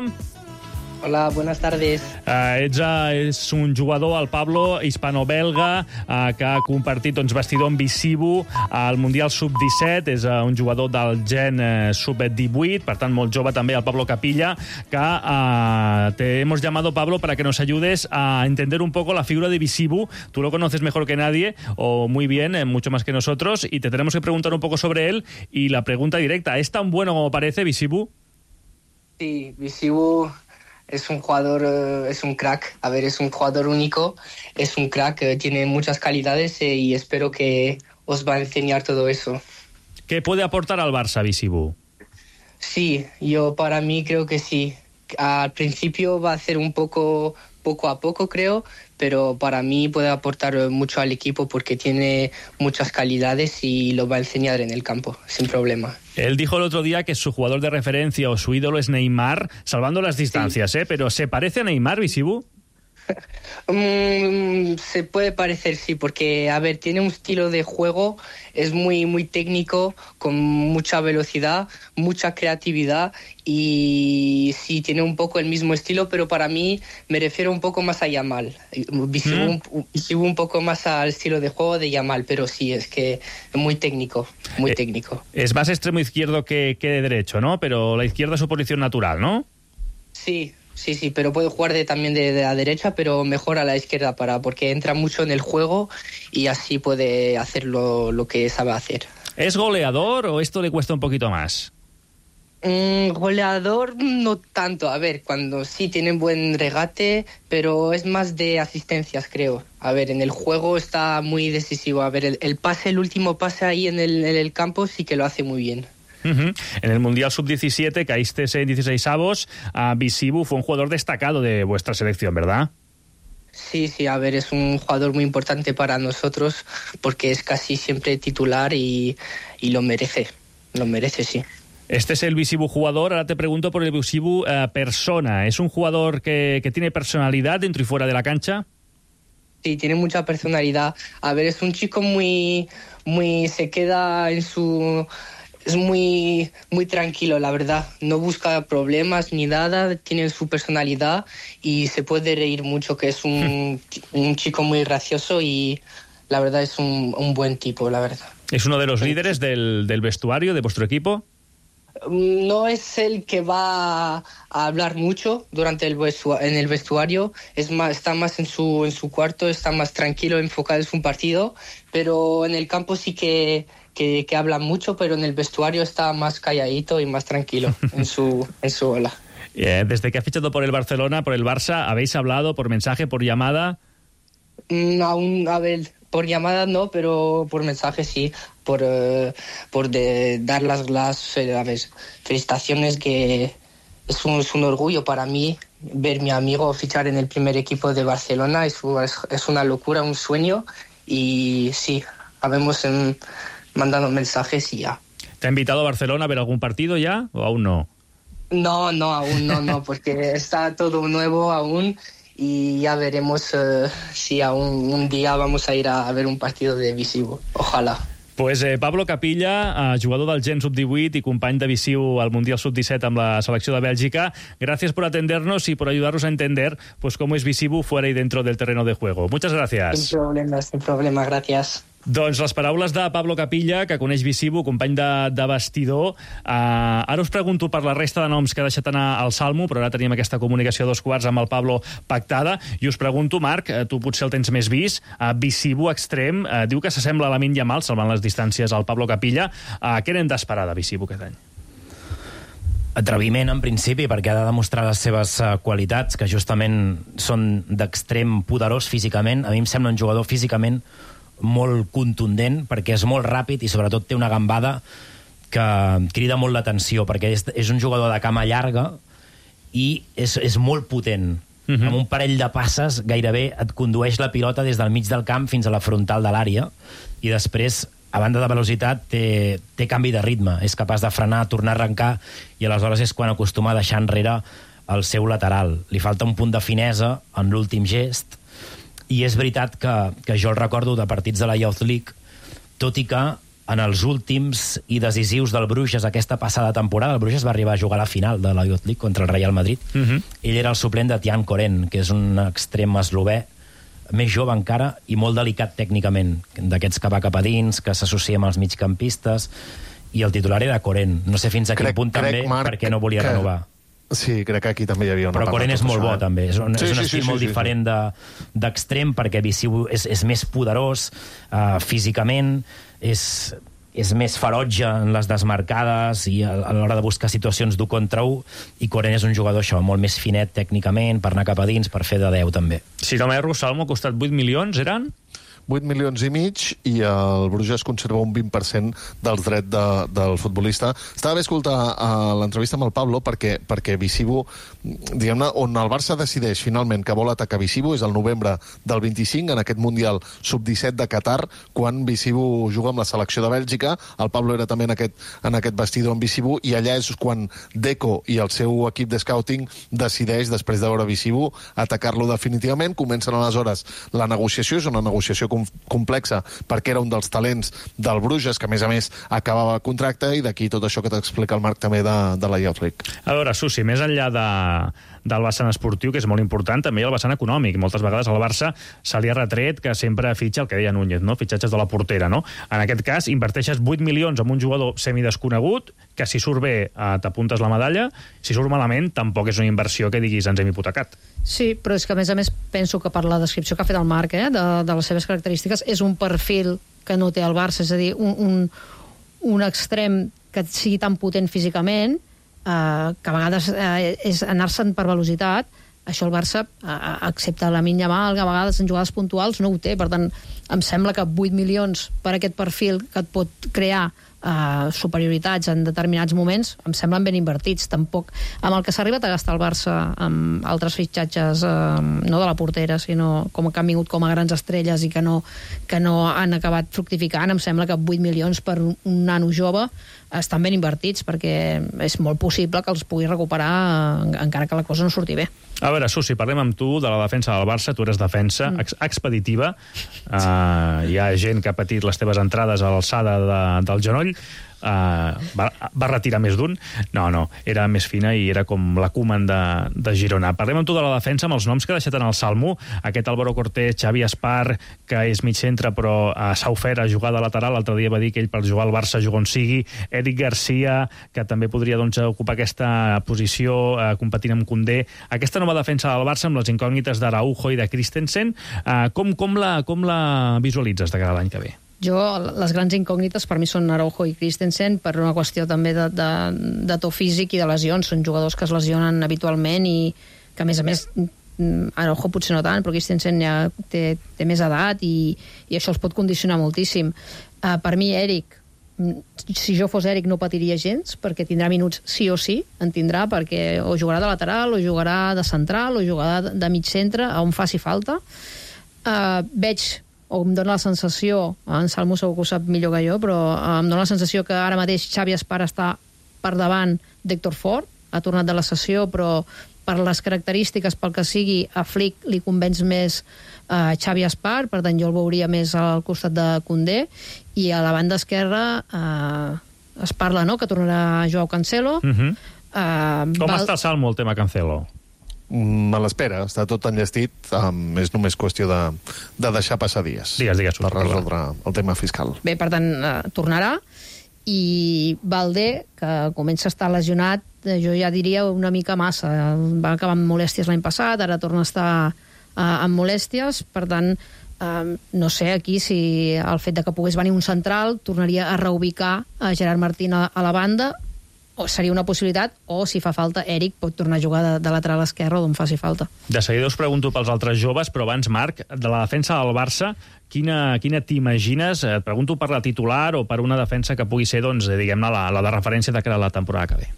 Hola, buenas tardes. Uh, ets, uh, és un jugador, el Pablo, hispano-belga, uh, que ha compartit doncs, vestidor amb Bizibu al Mundial sub disset. És uh, un jugador del gen uh, sub divuit, per tant, molt jove també, el Pablo Capilla, que uh, te hemos llamado, Pablo, para que nos ayudes a entender un poco la figura de Bizibu. Tú lo conoces mejor que nadie, o muy bien, eh, mucho más que nosotros, y te tenemos que preguntar un poco sobre él. Y la pregunta directa, ¿es tan bueno como parece Bizibu? Sí, Bizibu... Es un jugador, es un crack. A ver, es un jugador único, es un crack, tiene muchas calidades y espero que os va a enseñar todo eso. ¿Qué puede aportar al Barça, Bizibu? Sí, yo para mí creo que sí. Al principio va a ser un poco, poco a poco creo, pero para mí puede aportar mucho al equipo porque tiene muchas calidades y lo va a enseñar en el campo, sin problema. Él dijo el otro día que su jugador de referencia o su ídolo es Neymar, salvando las distancias, sí. ¿eh? Pero ¿se parece a Neymar, Bizibu? um, se puede parecer, sí, porque, a ver, tiene un estilo de juego, es muy, muy técnico, con mucha velocidad, mucha creatividad y sí, tiene un poco el mismo estilo, pero para mí me refiero un poco más a Yamal. Bizibu mm. un, un poco más al estilo de juego de Yamal, pero sí, es que es muy técnico, muy eh, técnico. Es más extremo izquierdo que, que de derecho, ¿no? Pero la izquierda es su posición natural, ¿no? Sí. Sí, sí, pero puede jugar de, también de, de la derecha, pero mejor a la izquierda para porque entra mucho en el juego y así puede hacer lo, lo que sabe hacer. ¿Es goleador o esto le cuesta un poquito más? Mm, goleador no tanto. A ver, cuando sí tiene buen regate, pero es más de asistencias, creo. A ver, en el juego está muy decisivo. A ver, el, el pase, el último pase ahí en el, en el campo sí que lo hace muy bien. Uh-huh. En el Mundial sub diecisiete caíste en dieciseisavos. Uh, Bizibu fue un jugador destacado de vuestra selección, ¿verdad? Sí, sí, a ver, es un jugador muy importante para nosotros porque es casi siempre titular y, y lo merece, lo merece, sí. Este es el Bizibu jugador. Ahora te pregunto por el Bizibu uh, persona. ¿Es un jugador que, que tiene personalidad dentro y fuera de la cancha? Sí, tiene mucha personalidad. A ver, es un chico muy, muy, se queda en su... Es muy, muy tranquilo, la verdad. No busca problemas ni nada, tiene su personalidad y se puede reír mucho, que es un, un chico muy gracioso y la verdad es un, un buen tipo, la verdad. ¿Es uno de los líderes del, del vestuario de vuestro equipo? No es el que va a hablar mucho durante el vestuario, en el vestuario, es más, está más en su, en su cuarto, está más tranquilo, enfocado en su partido, pero en el campo sí que... Que, que habla mucho, pero en el vestuario está más calladito y más tranquilo en su, en su ola. Eh, desde que ha fichado por el Barcelona, por el Barça, ¿habéis hablado por mensaje, por llamada? Mm, aún, a ver, por llamada no, pero por mensaje sí, por, uh, por de, dar las, las a ver, felicitaciones, que es un, es un orgullo para mí ver a mi amigo fichar en el primer equipo de Barcelona, es, es, es una locura, un sueño, y sí, habemos en... mandando mensajes y ya. ¿Te ha invitado a Barcelona a ver algún partido ya o aún no? No, no, aún no, no, porque está todo nuevo aún y ya veremos uh, si aún un día vamos a ir a, a ver un partido de Bizibu. Ojalá. Pues eh, Pablo Capilla, eh, jugador del Gen sub divuit y company de Bizibu al Mundial sub disset amb la selecció de Bèlgica. Gracias por atendernos y por ayudarnos a entender pues cómo es Bizibu fuera y dentro del terreno de juego. Muchas gracias. Sin problema, sin problema, gracias. Doncs les paraules de Pablo Capilla, que coneix Bizibu, company de, de vestidor. Uh, ara us pregunto per la resta de noms que ha deixat anar al Salmo, però ara tenim aquesta comunicació a dos quarts amb el Pablo pactada. I us pregunto, Marc, tu potser el tens més vist, uh, Bizibu extrem, uh, diu que s'assembla a Lamine Yamal, salvant les distàncies al Pablo Capilla. Uh, què n'hem d'esperar de Bizibu aquest any? Atreviment, en principi, perquè ha de demostrar les seves uh, qualitats, que justament són d'extrem poderós físicament. A mi em sembla un jugador físicament molt contundent, perquè és molt ràpid i sobretot té una gambada que crida molt l'atenció, perquè és, és un jugador de cama llarga i és, és molt potent. Uh-huh. Amb un parell de passes gairebé et condueix la pilota des del mig del camp fins a la frontal de l'àrea, i després, a banda de velocitat, té, té canvi de ritme. És capaç de frenar, tornar a arrencar, i aleshores és quan acostuma a deixar enrere el seu lateral. Li falta un punt de finesa en l'últim gest, i és veritat que, que jo el recordo de partits de la Youth League, tot i que en els últims i decisius del Bruges aquesta passada temporada, el Bruges va arribar a jugar a la final de la Youth League contra el Real Madrid. Uh-huh. Ell era el suplent de Tian Koren, que és un extrem eslové, més jove encara i molt delicat tècnicament, d'aquests que va cap a dins, que s'associa amb els migcampistes, i el titular era Koren. No sé fins a quin punt també, Marc, perquè no volia que... renovar. Sí, crec que aquí també hi havia una Però part. Però Koren és molt bo, també. És un, sí, és un sí, estil sí, molt sí, diferent sí. d'extrem, perquè Visiu és, és més poderós uh, físicament, és, és més ferotge en les desmarcades i a, a l'hora de buscar situacions d'un contra un, i Koren és un jugador això, molt més finet tècnicament, per anar cap a dins, per fer de deu, també. Si no m'erro, Salmo, ha costat vuit milions, eren? vuit milions i mig, i el Bruges conserva un vint per cent dels drets de, del futbolista. Estava bé escoltar uh, l'entrevista amb el Pablo, perquè, perquè Visiu, diguem-ne, on el Barça decideix finalment que vol atacar Visiu és el novembre del vint-i-cinc, en aquest Mundial sub disset de Qatar, quan Visiu juga amb la selecció de Bèlgica. El Pablo era també en aquest, en aquest vestidor amb Visiu, i allà és quan Deco i el seu equip de scouting decideix, després de veure Visiu, atacar-lo definitivament. Comencen aleshores la negociació, és una negociació complexa, perquè era un dels talents del Bruges, que a més a més acabava contracte, i d'aquí tot això que t'explica el Marc també de, de la Youth League. A veure, Susi, més enllà de, del vessant esportiu, que és molt important, també hi ha el vessant econòmic. Moltes vegades al Barça se li ha retret que sempre fitxa el que deia Núñez, no? Fitxatges de la portera, no? En aquest cas, inverteixes vuit milions en un jugador semidesconegut, que si surt bé eh, t'apuntes la medalla, si surt malament tampoc és una inversió que diguis ens hem hipotecat. Sí, però és que a més a més penso que per la descripció que ha fet el Marc, eh, de, de les seves característiques, és un perfil que no té el Barça, és a dir, un, un, un extrem que sigui tan potent físicament, eh, que a vegades eh, és anar-se'n per velocitat. Això el Barça, eh, excepte la Lamine Yamal, que a vegades en jugades puntuals no ho té. Per tant, em sembla que vuit milions per aquest perfil que et pot crear Uh, superioritats en determinats moments em semblen ben invertits. Tampoc amb el que s'ha arribat a gastar el Barça amb altres fitxatges, uh, no de la portera, sinó com que han vingut com a grans estrelles i que no, que no han acabat fructificant, em sembla que vuit milions per un, un nano jove estan ben invertits, perquè és molt possible que els pugui recuperar uh, encara que la cosa no surti bé. A veure, Susi, parlem amb tu de la defensa del Barça. Tu eres defensa mm. ex expeditiva. Uh, hi ha gent que ha patit les teves entrades a l'alçada de, del genoll. Uh, va, va retirar més d'un. No, no, era més fina i era com la Koeman de, de Girona. Parlem amb tu de la defensa, amb els noms que ha deixat en el Salmo. Aquest Álvaro Cortés, Xavi Espar, que és mig centre però uh, s'ha ofert a jugar de lateral. L'altre dia va dir que ell per jugar al Barça juga on sigui. Eric Garcia, que també podria doncs, ocupar aquesta posició uh, competint amb Koundé. Aquesta nova defensa del Barça amb les incògnites d'Araujo i de Christensen, uh, com, com, la, com la visualitzes de cara a l'any que ve? Jo, les grans incògnites per mi són Araujo i Christensen, per una qüestió també de, de, de to físic i de lesions. Són jugadors que es lesionen habitualment i que, a més a més, Araujo potser no tant, però Christensen ja té, té més edat i, i això els pot condicionar moltíssim. Uh, per mi, Eric, si jo fos Eric no patiria gens, perquè tindrà minuts sí o sí, en tindrà, perquè o jugarà de lateral, o jugarà de central, o jugarà de, de mig centre, on faci falta. Uh, veig o em dóna la sensació, en Salmo segur que ho sap millor que jo, però em dóna la sensació que ara mateix Xavi Espar està per davant d'Héctor Fort, ha tornat de la sessió, però per les característiques, pel que sigui, a Flick li convenç més uh, Xavi Espar, per tant jo el veuria més al costat de Koundé, i a la banda esquerra uh, es parla, no?, que tornarà Joao Cancelo. Uh-huh. uh, Com val... està, Salmo, el tema Cancelo? Me l'espera, està tot enllestit, um, és només qüestió de, de deixar passar dies. Digues, digues. Per resoldre el tema fiscal. Bé, per tant, uh, tornarà, i Valdé, que comença a estar lesionat, jo ja diria una mica massa. Va acabar amb molèsties l'any passat, ara torna a estar uh, amb molèsties, per tant, uh, no sé aquí si el fet de que pogués venir un central tornaria a reubicar a Gerard Martín a, a la banda, o seria una possibilitat, o si fa falta Eric pot tornar a jugar de, de lateral esquerre d'on faci falta. De seguida us pregunto pels altres joves, però abans, Marc, de la defensa del Barça, quina, quina t'imagines? Et pregunto per la titular o per una defensa que pugui ser, doncs, diguem-ne, la, la de referència de cara a la temporada que ve.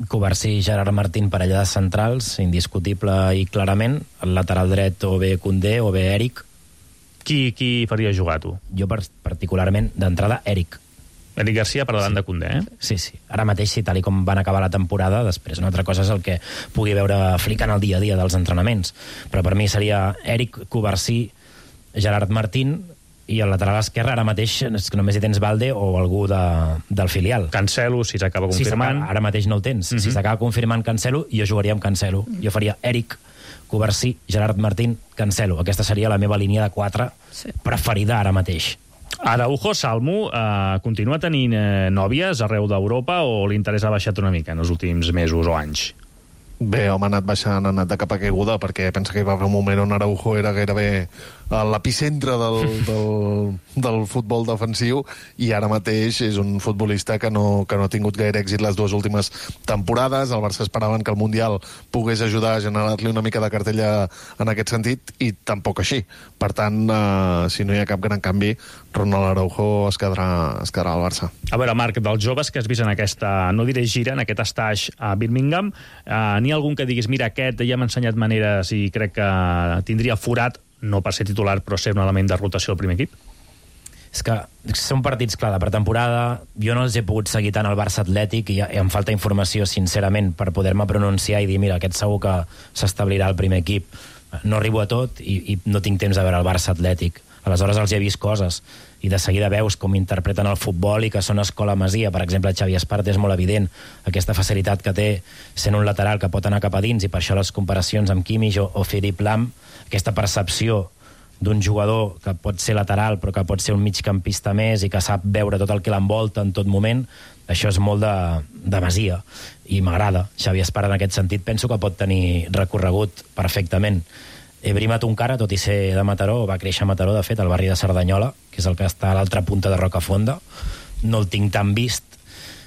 Covarsí, Gerard Martín, parella de centrals, indiscutible i clarament. El lateral dret o bé Koundé o bé Eric. Qui, qui faria jugar, tu? Jo, particularment, d'entrada, Eric. Eric Garcia per davant sí. de Koundé, eh? Sí, sí. Ara mateix, sí, tal i com van acabar la temporada, després una altra cosa és el que pugui veure Flick en el dia a dia dels entrenaments. Però per mi seria Eric, Covarsí, Gerard Martín, i al lateral esquerre ara mateix és que només hi tens Balde o algú de, del filial. Cancelo, si s'acaba confirmant. Si ara mateix no el tens. Uh-huh. Si s'acaba confirmant Cancelo, jo jugaria amb Cancelo. Jo faria Eric, Covarsí, Gerard Martín, Cancelo. Aquesta seria la meva línia de quatre sí. preferida ara mateix. Araujo, Salmo, eh, continua tenint eh, nòvies arreu d'Europa o l'interès ha baixat una mica en els últims mesos o anys? Bé, home, ha anat baixant, ha anat de capa caiguda, perquè pensa que hi va haver un moment on Araujo era gairebé a l'epicentre del, del, del futbol defensiu, i ara mateix és un futbolista que no, que no ha tingut gaire èxit les dues últimes temporades. El Barça esperaven que el Mundial pogués ajudar a generar-li una mica de cartella en aquest sentit, i tampoc així. Per tant, eh, si no hi ha cap gran canvi, Ronald Araujo es quedarà, es quedarà al Barça. A veure, Marc, dels joves que has vist en aquesta, no diré gira, en aquest stage a Birmingham, eh, n'hi ha algun que diguis, mira, aquest ja m'ha ensenyat maneres i crec que tindria forat, no per ser titular, però ser un element de rotació al primer equip? És que són partits, clar, de pretemporada. Jo no els he pogut seguir tant al Barça Atlètic i, i em falta informació, sincerament, per poder-me pronunciar i dir, mira, aquest segur que s'establirà al primer equip. No arribo a tot i, i no tinc temps de veure el Barça Atlètic. Aleshores els he vist coses i de seguida veus com interpreten el futbol i que són escola Masia. Per exemple, Xavi Espart és molt evident aquesta facilitat que té sent un lateral que pot anar cap a dins, i per això les comparacions amb Kimmich o, o Philipp Lahm, aquesta percepció d'un jugador que pot ser lateral però que pot ser un migcampista més i que sap veure tot el que l'envolta en tot moment, això és molt de, de Masia i m'agrada. Xavi Espart en aquest sentit penso que pot tenir recorregut perfectament. Ebrim Atunkara, tot i ser de Mataró, va créixer a Mataró, de fet, al barri de Cerdanyola, que és el que està a l'altra punta de Rocafonda. No el tinc tan vist.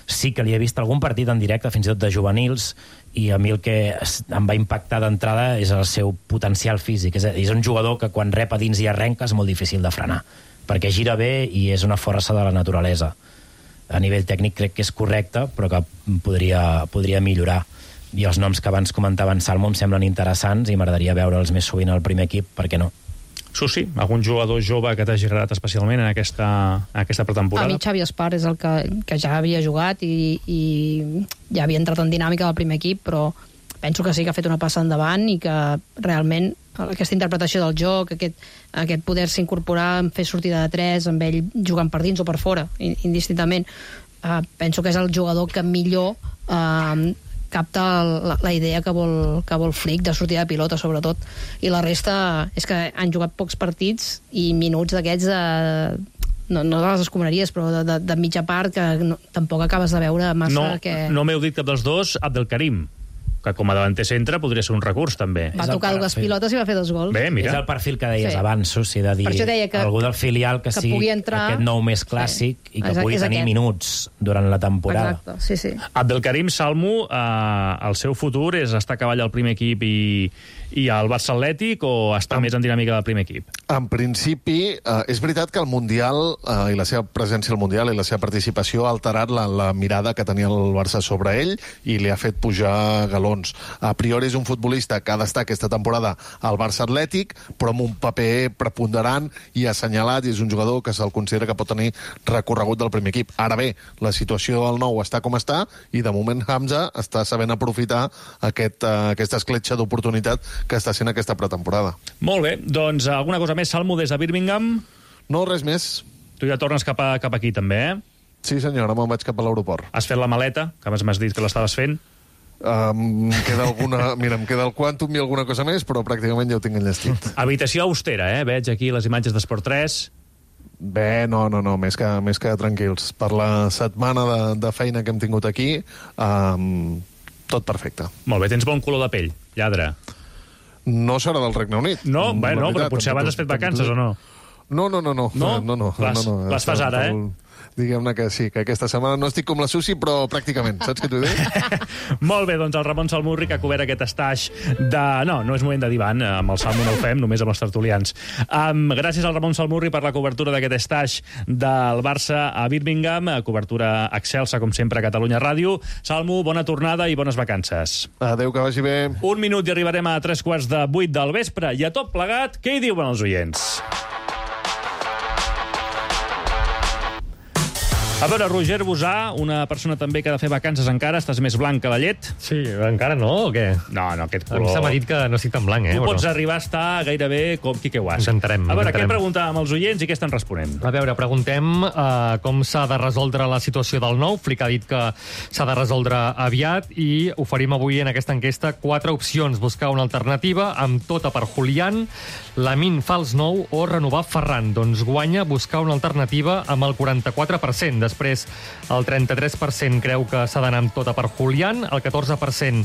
Sí que li he vist algun partit en directe, fins i tot de juvenils, i a mi el que em va impactar d'entrada és el seu potencial físic. És, és un jugador que quan rep a dins i arrenca és molt difícil de frenar, perquè gira bé i és una força de la naturalesa. A nivell tècnic crec que és correcte, però que podria, podria millorar. I els noms que abans comentava en Salmo em semblen interessants i m'agradaria veure'ls més sovint al primer equip, per què no? Susi, algun jugador jove que t'hagi agradat especialment en aquesta, en aquesta pretemporada? A mi Xavi Espart és el que, que ja havia jugat i, i ja havia entrat en dinàmica del primer equip, però penso que sí que ha fet una passa endavant i que realment aquesta interpretació del joc, aquest, aquest poder-se incorporar, fer sortida de tres, amb ell jugant per dins o per fora, indistintament, uh, penso que és el jugador que millor uh, capta la, la idea que vol, que vol Flick de sortida de pilota, sobretot. I la resta és que han jugat pocs partits i minuts d'aquests de, no, no de les escombraries, però de, de, de mitja part que no, tampoc acabes de veure massa no, que... No m'heu dit cap dels dos, Abdelkarim, que com a davanter centre podria ser un recurs, també. Va tocar dues pilotes i va fer dos gols. Bé, mira. És el perfil que deies sí. abans, Susi, de dir que, algú del filial que, que sigui entrar... aquest nou més clàssic sí. i que Exacte, pugui tenir aquest. minuts durant la temporada. Exacte, sí, sí. Abdelkarim, Salmo, eh, el seu futur és estar a cavall al primer equip i, i al Barça Atlètic o estar en, més en dinàmica del primer equip? En principi, eh, és veritat que el Mundial eh, i la seva presència al Mundial i la seva participació ha alterat la, la mirada que tenia el Barça sobre ell i li ha fet pujar galons. A priori és un futbolista que ha d'estar aquesta temporada al Barça Atlètic, però amb un paper preponderant i assenyalat, i és un jugador que se'l considera que pot tenir recorregut del primer equip. Ara bé, la situació del nou està com està, i de moment Hamza està sabent aprofitar aquest, uh, aquesta escletxa d'oportunitat que està sent aquesta pretemporada. Molt bé, doncs alguna cosa més, Salmo, des de Birmingham? No, res més. Tu ja tornes cap, a, cap aquí, també, eh? Sí, senyor, ara me'n vaig cap a l'aeroport. Has fet la maleta, que m'has dit que l'estaves fent? Um, queda alguna, mira, em queda el quàntum i alguna cosa més, però pràcticament ja ho tinc enllestit. Habitació austera, eh? Veig aquí les imatges d'Esport tres. Bé, no, no, no, més que, més que tranquils. Per la setmana de, de feina que hem tingut aquí, um, tot perfecte. Molt bé, tens bon color de pell, lladre. No serà del Regne Unit. No, bé, no, però potser abans has fet vacances o no? No, no, no, no. No? no, no, les, no, no. les fas ara, eh? diguem-ne que sí, que aquesta setmana no estic com la Susi, però pràcticament, saps què t'ho dic? Molt bé, doncs el Ramon Salmurri, que ha cobert aquest estatge de... No, no és moment de divan, amb el Salmo no ho fem, només amb els tertulians. Um, gràcies al Ramon Salmurri per la cobertura d'aquest estatge del Barça a Birmingham, cobertura excelsa, com sempre, a Catalunya Ràdio. Salmo, bona tornada i bones vacances. Adéu, que vagi bé. Un minut i arribarem a tres quarts de vuit del vespre, i a tot plegat, què hi diuen els oients? A veure, Roger Bosà, una persona també que ha de fer vacances encara, estàs més blanc que la llet? Sí, encara no, o què? No, no, aquest A mi color... se m'ha dit que no estic tan blanc, eh? Tu pots però... arribar a estar gairebé com Quique Guasc. Intentarem, A veure, intentarem. què preguntàvem als oients i què estan responent? A veure, preguntem uh, com s'ha de resoldre la situació del nou. Flick ha dit que s'ha de resoldre aviat i oferim avui en aquesta enquesta quatre opcions. Buscar una alternativa amb tota per Julián, Lamine fals nou o renovar Ferran. Doncs guanya buscar una alternativa amb el quaranta-quatre per cent. Després, el trenta-tres per cent creu que s'ha d'anar amb tota per Julián, el catorze per cent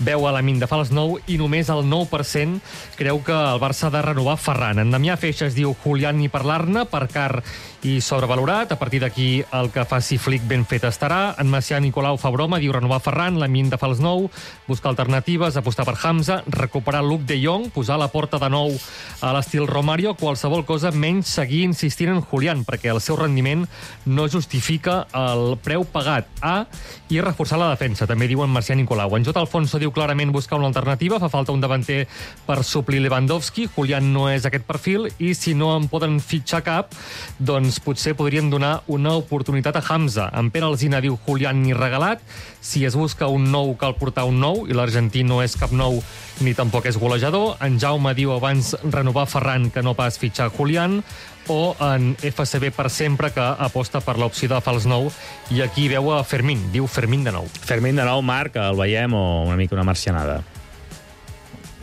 veu a Lamine de fals nou i només el nou per cent creu que el Barça ha de renovar Ferran. En Damià Feixas diu Julián ni parlar-ne, per car i sobrevalorat. A partir d'aquí el que faci Flick ben fet estarà. En Macià Nicolau fa broma, diu renovar Ferran, Lamine de fals nou, buscar alternatives, apostar per Hamza, recuperar Luke de Jong, posar la porta de nou a l'estil Romario, qualsevol cosa menys seguir insistint en Julián, perquè el seu rendiment no justifica el preu pagat. A, i reforçar la defensa, també diuen Marcià Nicolau. En J. Alfonso diu clarament buscar una alternativa, fa falta un davanter per suplir Lewandowski, Julián no és aquest perfil, i si no en poden fitxar cap, doncs potser podrien donar una oportunitat a Hamza. En Pere Alsina diu Julián ni regalat, si es busca un nou cal portar un nou, i l'argentí no és cap nou ni tampoc és golejador. En Jaume diu abans renovar Ferran que no pas fitxar Julián, o en F C B per sempre, que aposta per l'opció de fals nou, i aquí veu a Fermín, diu Fermín de nou. Fermín de nou, Marc, el veiem o una mica una marcianada?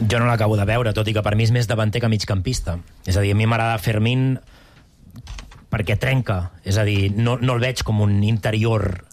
Jo no l'acabo de veure, tot i que per mi és més davanter que migcampista. És a dir, a mi m'agrada Fermín perquè trenca. És a dir, no, no el veig com un interior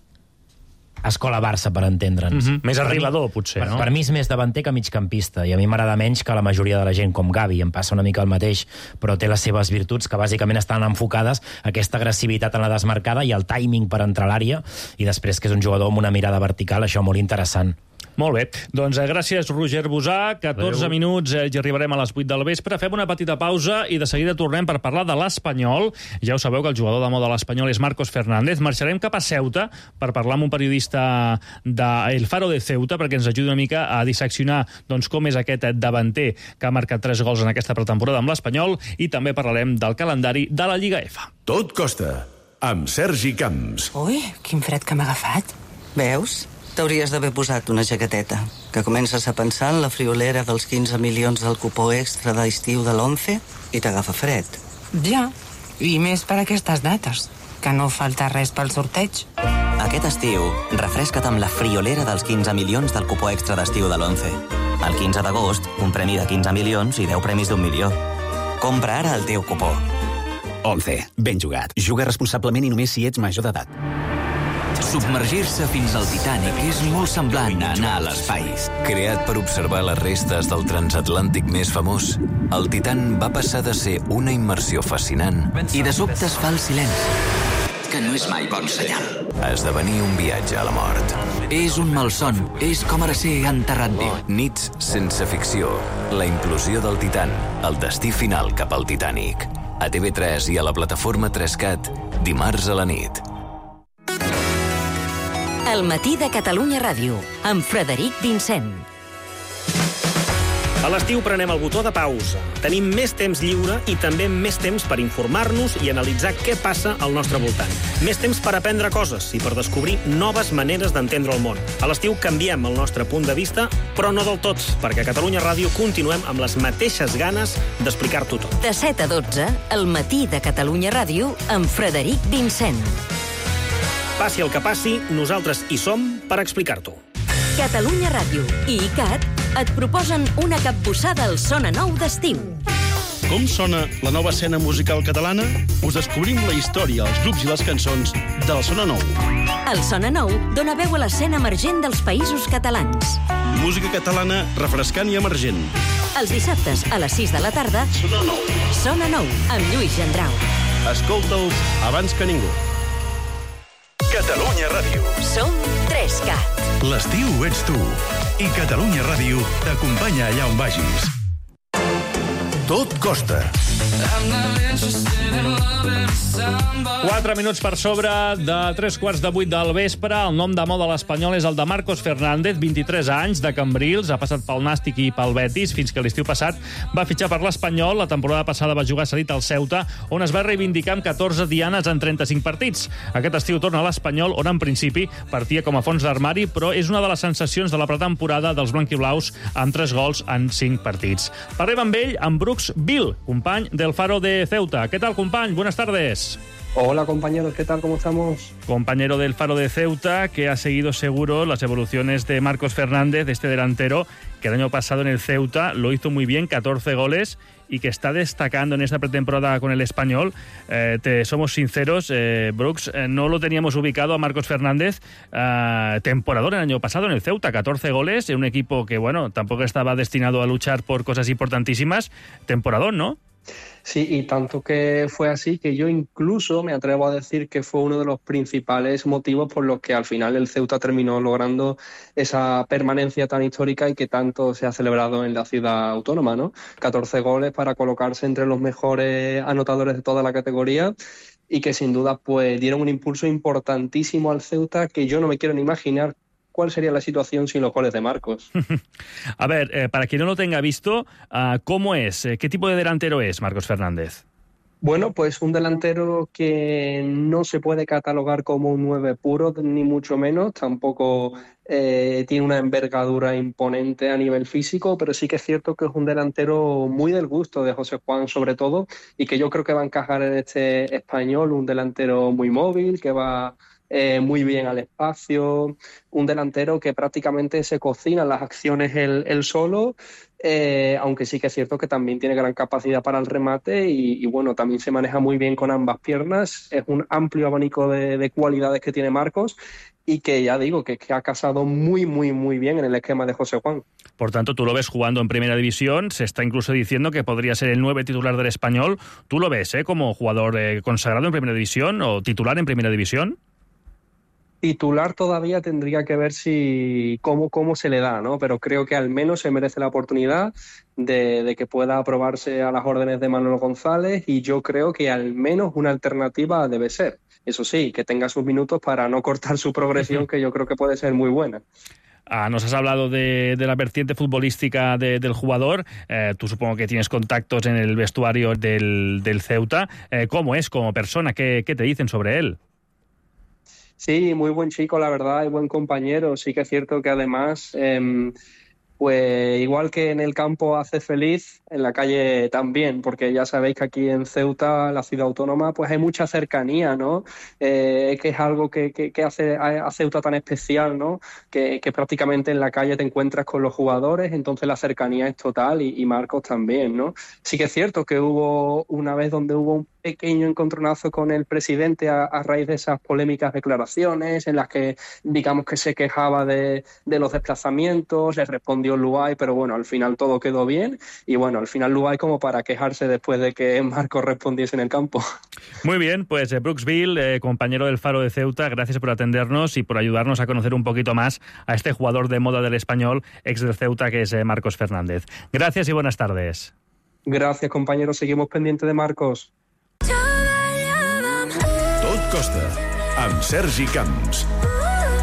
escola Barça, per entendre'ns. Mm-hmm. Més Per arribador, mi, potser, per, no? Per mi és més davanter que migcampista, i a mi m'agrada menys que la majoria de la gent, com Gavi. Em passa una mica el mateix, però té les seves virtuts, que bàsicament estan enfocades a aquesta agressivitat en la desmarcada i el timing per entrar a l'àrea, i després que és un jugador amb una mirada vertical, això molt interessant. Molt bé. Doncs eh, gràcies, Roger Bosà. catorze Adéu. minuts eh, i arribarem a les vuit del vespre. Fem una petita pausa i de seguida tornem per parlar de l'Espanyol. Ja ho sabeu que el jugador de moda de l'Espanyol és Marcos Fernández. Marxarem cap a Ceuta per parlar amb un periodista de El Faro de Ceuta perquè ens ajudi una mica a disseccionar doncs, com és aquest davanter que ha marcat tres gols en aquesta pretemporada amb l'Espanyol, i també parlarem del calendari de la Lliga F. Tot costa, amb Sergi Camps. Ui, quin fred que m'ha agafat. Veus? T'hauries d'haver posat una jaqueteta, que comences a pensar en la friolera dels quinze milions del cupó extra d'estiu de l'once i t'agafa fred. Ja, i més per aquestes dates, que no falta res pel sorteig. Aquest estiu, refresca't amb la friolera dels quinze milions del cupó extra d'estiu de l'once. El quinze d'agost, un premi de quinze milions i deu premis d'un milió. Compra ara el teu cupó. once. Ben jugat. Juga responsablement i només si ets major d'edat. Submergir-se fins al Titanic és molt semblant a anar a l'espai. Creat per observar les restes del transatlàntic més famós, el Titan va passar de ser una immersió fascinant i de sobte es fa el silenci, que no és mai bon senyal, a esdevenir un viatge a la mort. És un malson, és com ara ser enterrat viu. Nits sense ficció, la implosió del Titan, el destí final cap al Titanic. A T V tres i a la plataforma tres cat, dimarts a la nit. El matí de Catalunya Ràdio, amb Frederic Vincent. A l'estiu prenem el botó de pausa. Tenim més temps lliure i també més temps per informar-nos i analitzar què passa al nostre voltant. Més temps per aprendre coses i per descobrir noves maneres d'entendre el món. A l'estiu canviem el nostre punt de vista, però no del tot, perquè a Catalunya Ràdio continuem amb les mateixes ganes d'explicar-t'ho tot. De set a dotze, el matí de Catalunya Ràdio, amb Frederic Vincent. Passi el que passi, nosaltres hi som per explicar-t'ho. Catalunya Ràdio i ICAT et proposen una capbussada al Sona Nou d'estiu. Com sona la nova escena musical catalana? Us descobrim la història, els grups i les cançons del Sona Nou. El Sona Nou dona veu a l'escena emergent dels països catalans. Música catalana refrescant i emergent. Els dissabtes a les sis de la tarda, Sona Nou. Sona Nou, amb Lluís Gendrau. Escolta'ls abans que ningú. Catalunya Ràdio. Som tres cat. L'estiu ets tu. I Catalunya Ràdio t'acompanya allà on vagis. Tot costa. Quatre minuts per sobre de tres quarts de vuit del vespre. El nom de moda a l'Espanyol és el de Marcos Fernández, vint-i-tres anys, de Cambrils. Ha passat pel Nàstic i pel Betis fins que l'estiu passat va fitxar per l'Espanyol. La temporada passada va jugar cedit al Ceuta, on es va reivindicar amb catorze dianes en trenta-cinc partits. Aquest estiu torna a l'Espanyol, on en principi partia com a fons d'armari, però és una de les sensacions de la pretemporada dels blanquiblaus amb tres gols en cinc partits. Parlem amb ell, amb Brooks Bill, company del Faro de Ceuta. ¿Qué tal, company? Buenas tardes. Hola, compañeros, ¿qué tal? ¿Cómo estamos? Compañero del Faro de Ceuta, que ha seguido seguro las evoluciones de Marcos Fernández, de este delantero, que el año pasado en el Ceuta lo hizo muy bien, catorce goles, y que está destacando en esta pretemporada con el Español. Eh, te somos sinceros, eh, Brooks, eh, no lo teníamos ubicado a Marcos Fernández, eh, temporador el año pasado en el Ceuta, catorce goles, en un equipo que, bueno, tampoco estaba destinado a luchar por cosas importantísimas. Temporador, ¿no? Sí, y tanto que fue así que yo incluso me atrevo a decir que fue uno de los principales motivos por los que al final el Ceuta terminó logrando esa permanencia tan histórica y que tanto se ha celebrado en la ciudad autónoma, ¿no? catorce goles para colocarse entre los mejores anotadores de toda la categoría y que sin duda pues dieron un impulso importantísimo al Ceuta que yo no me quiero ni imaginar cuál sería la situación sin los goles de Marcos. A ver, eh, para quien no lo tenga visto, uh, ¿cómo es? ¿Qué tipo de delantero es Marcos Fernández? Bueno, pues un delantero que no se puede catalogar como un nueve puro, ni mucho menos. Tampoco eh, tiene una envergadura imponente a nivel físico, pero sí que es cierto que es un delantero muy del gusto de José Juan, sobre todo, y que yo creo que va a encajar en este Español, un delantero muy móvil, que va Eh, muy bien al espacio, un delantero que prácticamente se cocina las acciones él, él solo, eh, aunque sí que es cierto que también tiene gran capacidad para el remate y, y bueno, también se maneja muy bien con ambas piernas. Es un amplio abanico de, de cualidades que tiene Marcos y que ya digo que, que ha casado muy, muy, muy bien en el esquema de José Juan. Por tanto, tú lo ves jugando en Primera División, se está incluso diciendo que podría ser el nueve titular del Español. ¿Tú lo ves eh, como jugador eh, consagrado en Primera División o titular en Primera División? Titular todavía tendría que ver si cómo, cómo se le da, ¿no? Pero creo que al menos se merece la oportunidad de, de que pueda aprobarse a las órdenes de Manolo González y yo creo que al menos una alternativa debe ser. Eso sí, que tenga sus minutos para no cortar su progresión, que yo creo que puede ser muy buena. Ah, nos has hablado de, de la vertiente futbolística de, del jugador. Eh, tú supongo que tienes contactos en el vestuario del, del Ceuta. Eh, ¿Cómo es como persona? ¿Qué, qué te dicen sobre él? Sí, muy buen chico, la verdad, y buen compañero. Sí que es cierto que además, eh, pues igual que en el campo hace feliz, en la calle también, porque ya sabéis que aquí en Ceuta, la ciudad autónoma, pues hay mucha cercanía, ¿no? Eh, que es algo que, que, que hace a Ceuta tan especial, ¿no? Que, que prácticamente en la calle te encuentras con los jugadores, entonces la cercanía es total y, y Marcos también, ¿no? Sí que es cierto que hubo una vez donde hubo un pequeño encontronazo con el presidente a, a raíz de esas polémicas declaraciones en las que digamos que se quejaba de, de los desplazamientos, le respondió Luay, pero bueno, al final todo quedó bien y bueno, al final Luay como para quejarse después de que Marcos respondiese en el campo. Muy bien, pues eh, Brooks Bill, eh, compañero del Faro de Ceuta, gracias por atendernos y por ayudarnos a conocer un poquito más a este jugador de moda del Español, ex del Ceuta, que es eh, Marcos Fernández. Gracias y buenas tardes. Gracias, compañeros, seguimos pendientes de Marcos. Tot costa, amb Sergi Camps.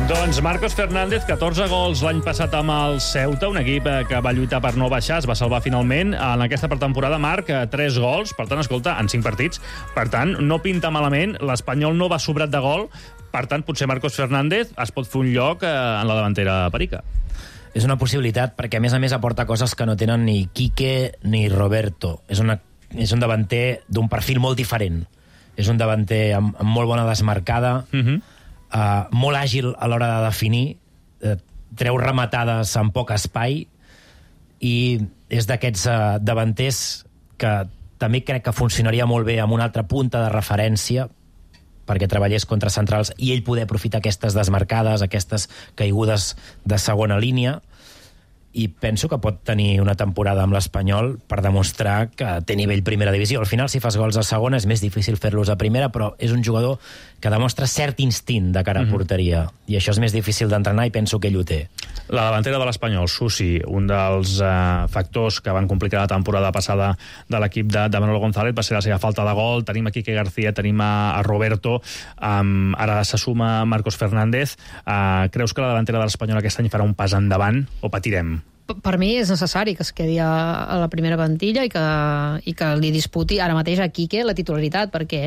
Doncs Marcos Fernández, catorze gols l'any passat amb el Ceuta, un equip que va lluitar per no baixar, es va salvar finalment. En aquesta pretemporada, Marc, tres gols, per tant, escolta, en cinc partits. Per tant, no pinta malament, l'Espanyol no va sobrat de gol, per tant, potser Marcos Fernández es pot fer un lloc en la davantera perica. És una possibilitat, perquè a més a més aporta coses que no tenen ni Quique ni Roberto. És, una, és un davanter d'un perfil molt diferent. És un davanter amb, amb molt bona desmarcada, uh-huh. uh, molt àgil a l'hora de definir, uh, treu rematades en poc espai i és d'aquests uh, davanters que també crec que funcionaria molt bé amb una altra punta de referència perquè treballés contra centrals i ell poder aprofitar aquestes desmarcades, aquestes caigudes de segona línia. i penso que pot tenir una temporada amb l'Espanyol per demostrar que té nivell primera divisió. Al final, si fas gols a segona, és més difícil fer-los a primera, però és un jugador que demostra cert instint de cara a porteria, mm-hmm. i això és més difícil d'entrenar i penso que ell ho té. La davantera de l'Espanyol, Susi, un dels eh, factors que van complicar la temporada passada de l'equip de, de Manolo González va ser la seva falta de gol. Tenim a Quique García, tenim a, a Roberto, um, ara se suma Marcos Fernández. Uh, creus que la davantera de l'Espanyol aquest any farà un pas endavant o patirem? Per mi és necessari que es quedi a, a la primera plantilla i que, i que li disputi ara mateix a Quique la titularitat, perquè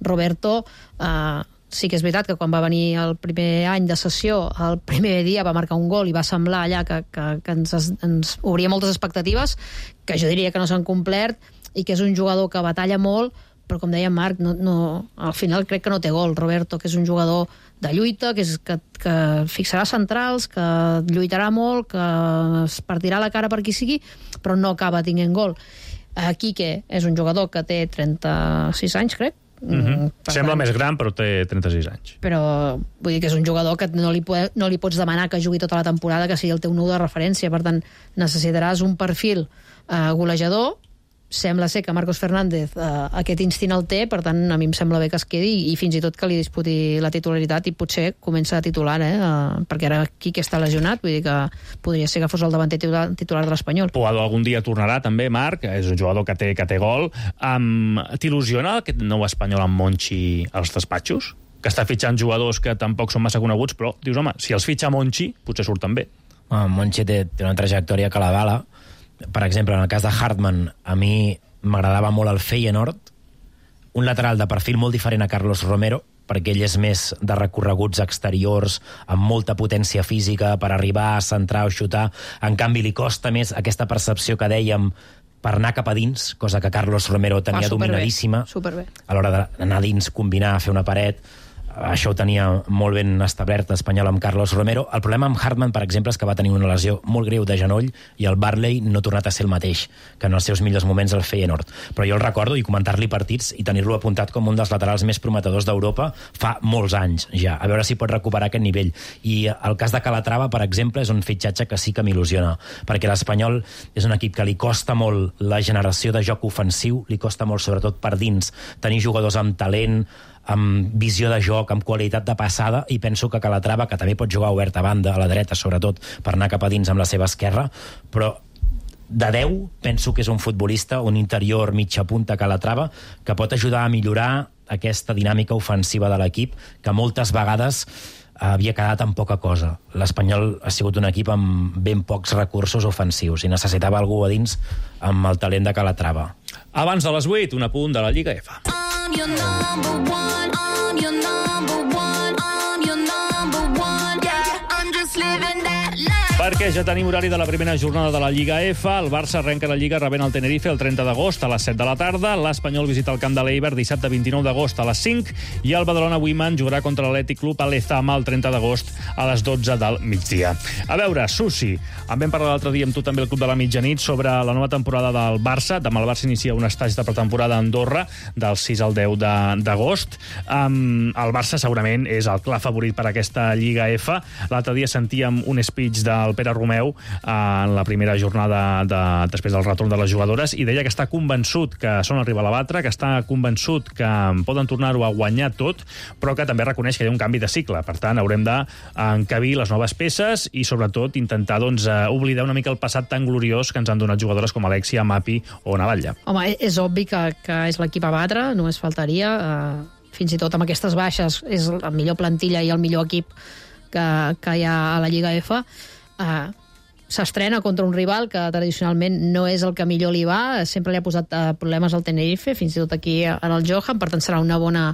Roberto eh, sí que és veritat que quan va venir el primer any de sessió, el primer dia va marcar un gol i va semblar allà que, que, que ens, ens obria moltes expectatives, que jo diria que no s'han complert, i que és un jugador que batalla molt, però com deia Marc, no, no, al final crec que no té gol. Roberto, que és un jugador de lluita, que, és, que, que fixarà centrals, que lluitarà molt, que es partirà la cara per qui sigui, però no acaba tinguent gol. Quique és un jugador que té trenta-sis anys, crec. Mm-hmm. Sembla tant, més gran, però té trenta-sis anys. Però vull dir que és un jugador que no li, po- no li pots demanar que jugui tota la temporada, que sigui el teu nou de referència. Per tant, necessitaràs un perfil eh, golejador. Sembla ser que Marcos Fernández eh, aquest instint el té, per tant a mi em sembla bé que es quedi i fins i tot que li disputi la titularitat i potser comença a titular, eh, eh, perquè ara Quique està lesionat, vull dir que podria ser que fos el davanter titular, titular de l'Espanyol. Puado algun dia tornarà també, Marc, és un jugador que té, que té gol. Um, T'il·lusiona aquest nou Espanyol amb Monchi als despatxos? Que està fitxant jugadors que tampoc són massa coneguts, però dius, home, si els fitxa Monchi, potser surten bé. Ah, Monchi té, té una trajectòria que l'avala. Per exemple, en el cas de Hartmann, a mi m'agradava molt el Feyenoord, un lateral de perfil molt diferent a Carlos Romero, perquè ell és més de recorreguts exteriors, amb molta potència física per arribar a centrar o xutar. En canvi, li costa més aquesta percepció que dèiem per anar cap a dins, cosa que Carlos Romero tenia ah, superbé, dominadíssima. Superbé. A l'hora d'anar dins, combinar, fer una paret. Això ho tenia molt ben establert l'Espanyol amb Carlos Romero. El problema amb Hartmann, per exemple, és que va tenir una lesió molt greu de genoll i el Barley no ha tornat a ser el mateix que en els seus millors moments el Feyenoord. Però jo el recordo i comentar-li partits i tenir-lo apuntat com un dels laterals més prometedors d'Europa fa molts anys ja. A veure si pot recuperar aquest nivell. I el cas de Calatrava, per exemple, és un fitxatge que sí que m'il·lusiona, perquè l'Espanyol és un equip que li costa molt la generació de joc ofensiu, li costa molt, sobretot per dins, tenir jugadors amb talent, amb visió de joc, amb qualitat de passada, i penso que Calatrava, que també pot jugar obert a banda, a la dreta sobretot, per anar cap a dins amb la seva esquerra, però de deu penso que és un futbolista, un interior mitja punta Calatrava, que pot ajudar a millorar aquesta dinàmica ofensiva de l'equip, que moltes vegades havia quedat en poca cosa. L'Espanyol ha sigut un equip amb ben pocs recursos ofensius i necessitava algú a dins amb el talent de Calatrava. Abans de les vuit, un apunt de la Lliga F. I'm your number one, I'm your number one, I'm your number one, yeah, I'm just living that life. Perquè ja tenim horari de la primera jornada de la Lliga F. El Barça arrenca la Lliga rebent el Tenerife el trenta d'agost a les set de la tarda. L'Espanyol visita el camp de l'Eibar dissabte vint-i-nou d'agost a les cinc i el Badalona Women jugarà contra l'Atlètic Club a l'Ezama el trenta d'agost a les dotze del migdia. A veure, Susi, en vam parlar l'altre dia amb tu també al Club de la Mitjanit sobre la nova temporada del Barça. Demà el Barça inicia un estatge de pretemporada a Andorra del sis al deu d'agost. Um, el Barça segurament és el clar favorit per a aquesta Lliga F. L'altre dia sentíem un speech del Pere Romeu en la primera jornada de, després del retorn de les jugadores, i deia que està convençut que són el rival a batre, que està convençut que poden tornar-ho a guanyar tot, però que també reconeix que hi ha un canvi de cicle. Per tant, haurem d'encabir les noves peces i sobretot intentar doncs, oblidar una mica el passat tan gloriós que ens han donat jugadores com Alexia, Mapi o Navatlla. Home, és obvi que, que és l'equip a batre, només faltaria. Uh, fins i tot amb aquestes baixes és la millor plantilla i el millor equip que, que hi ha a la Lliga F. Uh, s'estrena contra un rival que tradicionalment no és el que millor li va, sempre li ha posat uh, problemes al Tenerife, fins i tot aquí en el Johan, per tant serà una bona,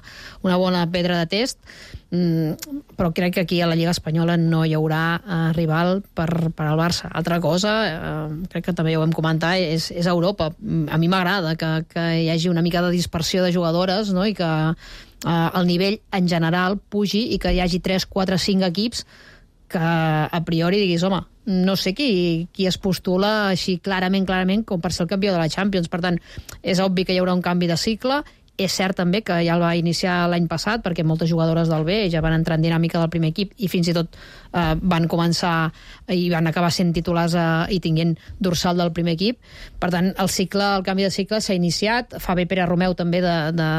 una bona pedra de test, mm, però crec que aquí a la Lliga Espanyola no hi haurà uh, rival per, per al Barça. Altra cosa, uh, crec que també ho vam comentar, és, és Europa. A mi m'agrada que, que hi hagi una mica de dispersió de jugadores, no? I que uh, el nivell en general pugi i que hi hagi tres, quatre, cinc equips que a priori diguis, home, no sé qui, qui es postula així clarament, clarament, com per ser el campió de la Champions. Per tant, és obvi que hi haurà un canvi de cicle. És cert també que ja el va iniciar l'any passat, perquè moltes jugadores del B ja van entrar en dinàmica del primer equip i fins i tot eh, van començar i van acabar sent titulars eh, i tinguent dorsal del primer equip. Per tant, el cicle, el canvi de cicle s'ha iniciat. Fa bé Pere Romeu també de, de,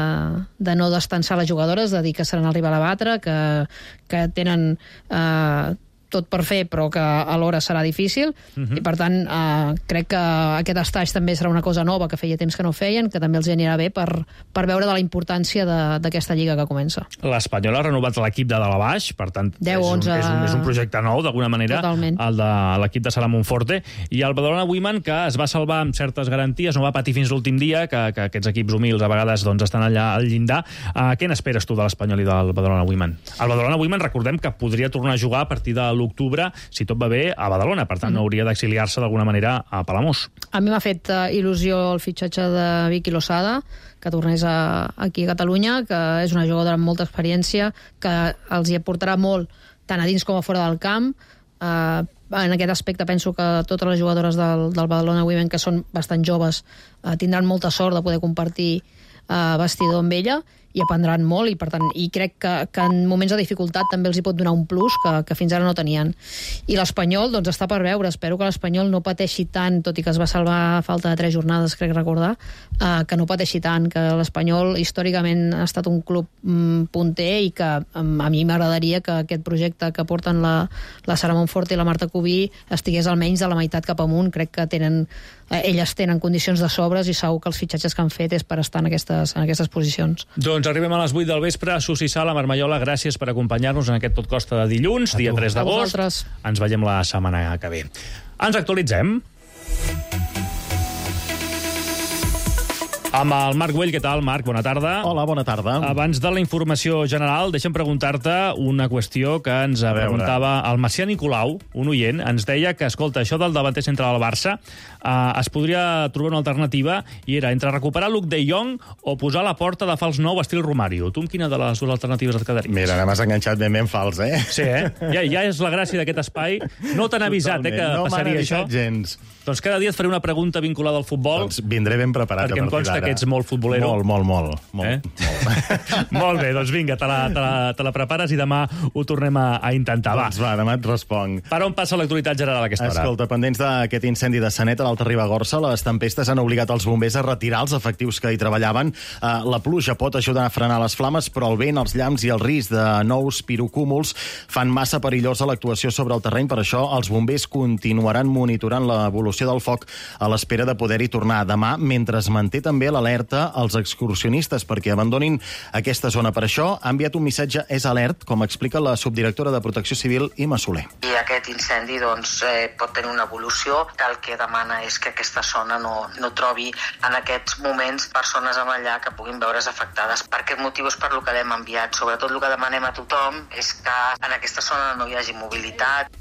de no destensar les jugadores, de dir que seran el rival a batre, que, que tenen eh, tot per fer, però que alhora serà difícil, uh-huh. i per tant eh, crec que aquest estatge també serà una cosa nova que feia temps que no feien, que també els anirà bé per, per veure de la importància d'aquesta lliga que comença. L'Espanyol ha renovat l'equip de dalt a baix, per tant deu, és, un, onze... és, un, és un projecte nou d'alguna manera. Totalment. El de l'equip de Sala Monforte, i el Badalona Women, que es va salvar amb certes garanties, no va patir fins l'últim dia, que, que aquests equips humils a vegades doncs, estan allà al llindar. Uh, què n'esperes tu de l'Espanyol i del Badalona Women? El Badalona Women, recordem que podria tornar a jugar a partir de l'octubre, si tot va bé, a Badalona. Per tant, mm. no hauria d'exiliar-se d'alguna manera a Palamós. A mi m'ha fet uh, il·lusió el fitxatge de Vicky Losada, que tornés a, aquí a Catalunya, que és una jugadora amb molta experiència, que els hi aportarà molt, tant a dins com a fora del camp. Uh, en aquest aspecte penso que totes les jugadores del, del Badalona Women, que són bastant joves, uh, tindran molta sort de poder compartir uh, vestidor amb ella, i aprendran molt, i per tant i crec que, que en moments de dificultat també els hi pot donar un plus que, que fins ara no tenien. I l'Espanyol, doncs, està per veure. Espero que l'Espanyol no pateixi tant, tot i que es va salvar a falta de tres jornades, crec recordar, eh, que no pateixi tant, que l'Espanyol històricament ha estat un club mm, punter, i que um, a mi m'agradaria que aquest projecte que porten la, la Sara Monforte i la Marta Cubí estigués almenys de la meitat cap amunt. Crec que tenen, eh, elles tenen condicions de sobres, i segur que els fitxatges que han fet és per estar en aquestes, en aquestes posicions. Doncs arribem a les vuit del vespre. Susi Sala, Marmallola, gràcies per acompanyar-nos en aquest Tot Costa de dilluns, dia tres d'agost. Ens veiem la setmana que ve. Ens actualitzem amb el Marc Güell. Què tal, Marc? Bona tarda. Hola, bona tarda. Abans de la informació general, deixa'm preguntar-te una qüestió que ens preguntava el Macià Nicolau, un oient. Ens deia que, escolta, això del davanter central del Barça eh, es podria trobar una alternativa, i era entre recuperar Luke de Jong o posar la porta de fals nou estil Romario. Tu amb quina de les dues alternatives et quedaries? Mira, m'has enganxat ben ben fals, eh? Sí, eh? Ja, ja és la gràcia d'aquest espai. No t'han avisat, eh, que no passaria això. Gens. Doncs cada dia et faré una pregunta vinculada al futbol. Doncs vindré ben preparat. Perquè em consta que ets molt futbolero. Molt, molt, molt. molt, eh? molt. Molt bé, doncs vinga, te la, te, la, te la prepares i demà ho tornem a, a intentar. Doncs va, demà et responc. Per on passa l'actualitat general a aquesta hora? Escolta, pendents d'aquest incendi de Sanet a l'Alta Ribagorça, les tempestes han obligat els bombers a retirar els efectius que hi treballaven. Uh, la pluja pot ajudar a frenar les flames, però el vent, els llamps i el risc de nous pirocúmuls fan massa perillosa l'actuació sobre el terreny. Per això, els bombers continuaran monitorant l'evolució del foc a l'espera de poder-hi tornar demà, mentre es manté també l'alerta als excursionistes perquè abandonin aquesta zona. Per això ha enviat un missatge És Alert, com explica la subdirectora de Protecció Civil, Ima Soler. I aquest incendi doncs, eh, pot tenir una evolució. El que demana és que aquesta zona no, no trobi en aquests moments persones amb allà que puguin veure's afectades. Per aquest motiu és per lo que l'hem enviat. Sobretot el que demanem a tothom és que en aquesta zona no hi hagi mobilitat.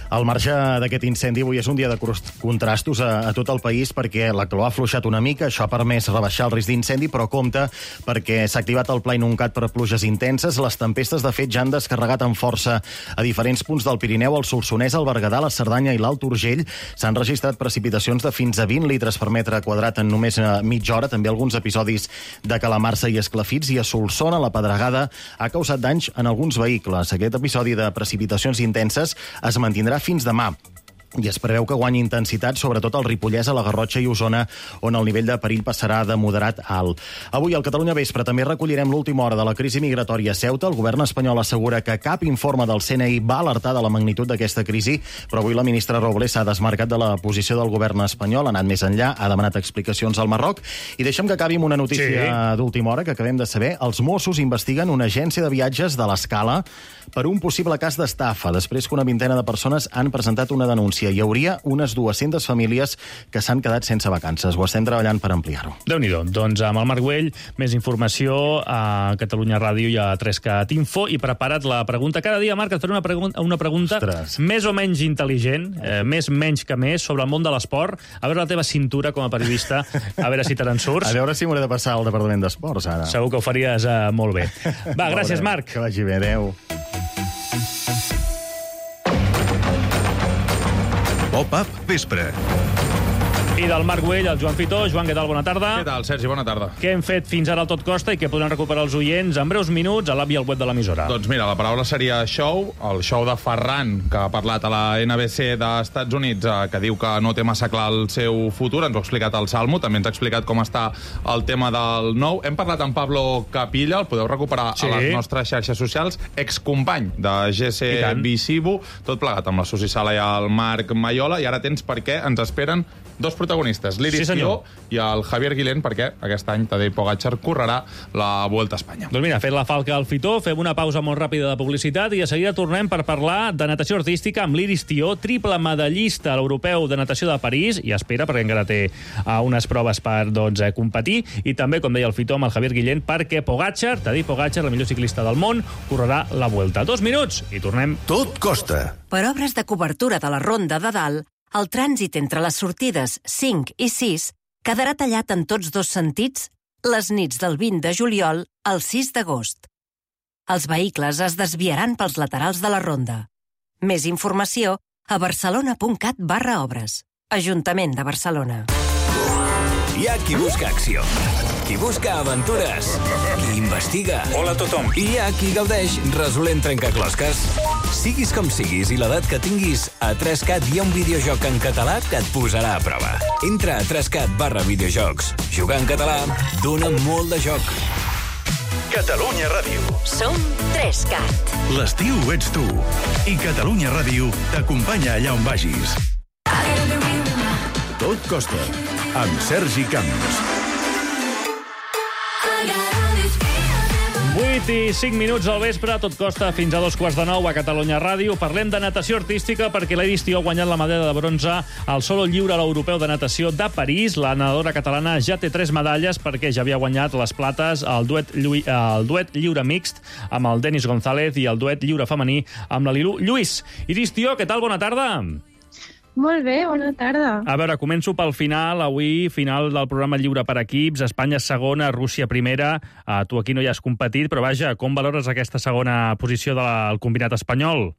Al marge d'aquest incendi, avui és un dia de contrastos a, a tot el país perquè la calor ha afluixat una mica, això ha permès rebaixar el risc d'incendi, però compte perquè s'ha activat el pla inuncat per pluges intenses. Les tempestes, de fet, ja han descarregat amb força a diferents punts del Pirineu, el Solsonès, el Berguedà, la Cerdanya i l'Alt Urgell. S'han registrat precipitacions de fins a vint litres per metre quadrat en només mitja hora, també alguns episodis de calamarsa i esclafits, i a Solsona la pedregada ha causat danys en alguns vehicles. Aquest episodi de precipitacions intenses es mantindrà fins demà. I es preveu que guanyi intensitat, sobretot al Ripollès, a la Garrotxa i Osona, on el nivell de perill passarà de moderat a alt. Avui, al Catalunya Vespre, també recollirem l'última hora de la crisi migratòria a Ceuta. El govern espanyol assegura que cap informe del C N I va alertar de la magnitud d'aquesta crisi, però avui la ministra Robles s'ha desmarcat de la posició del govern espanyol, ha anat més enllà, ha demanat explicacions al Marroc. I deixem que acabi amb una notícia sí. d'última hora que acabem de saber. Els Mossos investiguen una agència de viatges de l'Escala per un possible cas d'estafa, després que una vintena de persones han presentat una denúncia. Hi hauria unes dues-centes famílies que s'han quedat sense vacances. Ho estem treballant per ampliar-ho. Déu-n'hi-do. Doncs amb el Marc Güell, més informació a Catalunya Ràdio i a tres cat info, i prepara't la pregunta. Cada dia, Marc, et faré una pregunta, una pregunta més o menys intel·ligent, eh, més menys que més, sobre el món de l'esport. A veure la teva cintura com a periodista, a veure si te n'en surts. A veure si m'hauré de passar al Departament d'Esports, ara. Segur que ho faries eh, molt bé. Va, gràcies, Marc. Que vagi bé, adeu. Pop-up Vespre. I del Marc Güell, el Joan Fitó. Joan, què tal? Bona tarda. Què tal, Sergi? Bona tarda. Què hem fet fins ara al Tot Costa i què podran recuperar els oients en breus minuts a l'app i al web de l'emissora? Doncs mira, la paraula seria show, el show de Ferran, que ha parlat a la N B C d'Estats Units, eh, que diu que no té massa clar el seu futur. Ens ho ha explicat el Salmo, també ens ha explicat com està el tema del nou. Hem parlat amb Pablo Capilla, el podeu recuperar sí. a les nostres xarxes socials, excompany de G C Visibu, tot plegat amb la Susi Sala i el Marc Maiola, i ara tens per què ens esperen dos protagonistes, l'Iris sí, Tió i el Javier Guilén, perquè aquest any Tadej Pogačar correrà la Vuelta a Espanya. Doncs mira, fet la falca al Fitó, fem una pausa molt ràpida de publicitat i de seguida tornem per parlar de natació artística amb l'Iris Tió, triple medallista a l'Europeu de Natació de París, i espera, perquè encara té uh, unes proves per doncs, eh, competir, i també, com deia el Fitó, amb el Javier Guilén, perquè Pogačar, Tadej Pogačar, el millor ciclista del món, correrà la Vuelta. Dos minuts i tornem. Tot costa. Per obres de cobertura de la Ronda de Dalt, el trànsit entre les sortides cinc i sis quedarà tallat en tots dos sentits les nits del vint de juliol al sis d'agost. Els vehicles es desviaran pels laterals de la ronda. Més informació a barcelona.cat barra obres. Ajuntament de Barcelona. Hi ha qui busca acció, qui busca aventures, qui investiga. Hola a tothom. I hi ha qui gaudeix resolent trencaclosques. Siguis com siguis i l'edat que tinguis, a tres cat hi ha un videojoc en català que et posarà a prova. Entra a tres cat barra videojocs. Jugar en català dona molt de joc. Catalunya Ràdio. Som tres cat. L'estiu ets tu. I Catalunya Ràdio t'acompanya allà on vagis. Tot costa. Amb Sergi Camps. vuit i cinc minuts al vespre, tot costa fins a dos quarts de nou a Catalunya Ràdio. Parlem de natació artística perquè l'Iris Tió ha guanyat la medalla de bronze al solo lliure a l'Europeu de Natació de París. La nedadora catalana ja té tres medalles perquè ja havia guanyat les plates al duet, el duet lliure mixt amb el Denis González i el duet lliure femení amb la Lilu Lluís. Iris Tió, què tal? Bona tarda. Molt bé, bona tarda. A veure, començo pel final. Avui, final del programa lliure per equips. Espanya segona, Rússia primera. Uh, tu aquí no hi has competit, però vaja, com valores aquesta segona posició del combinat espanyol?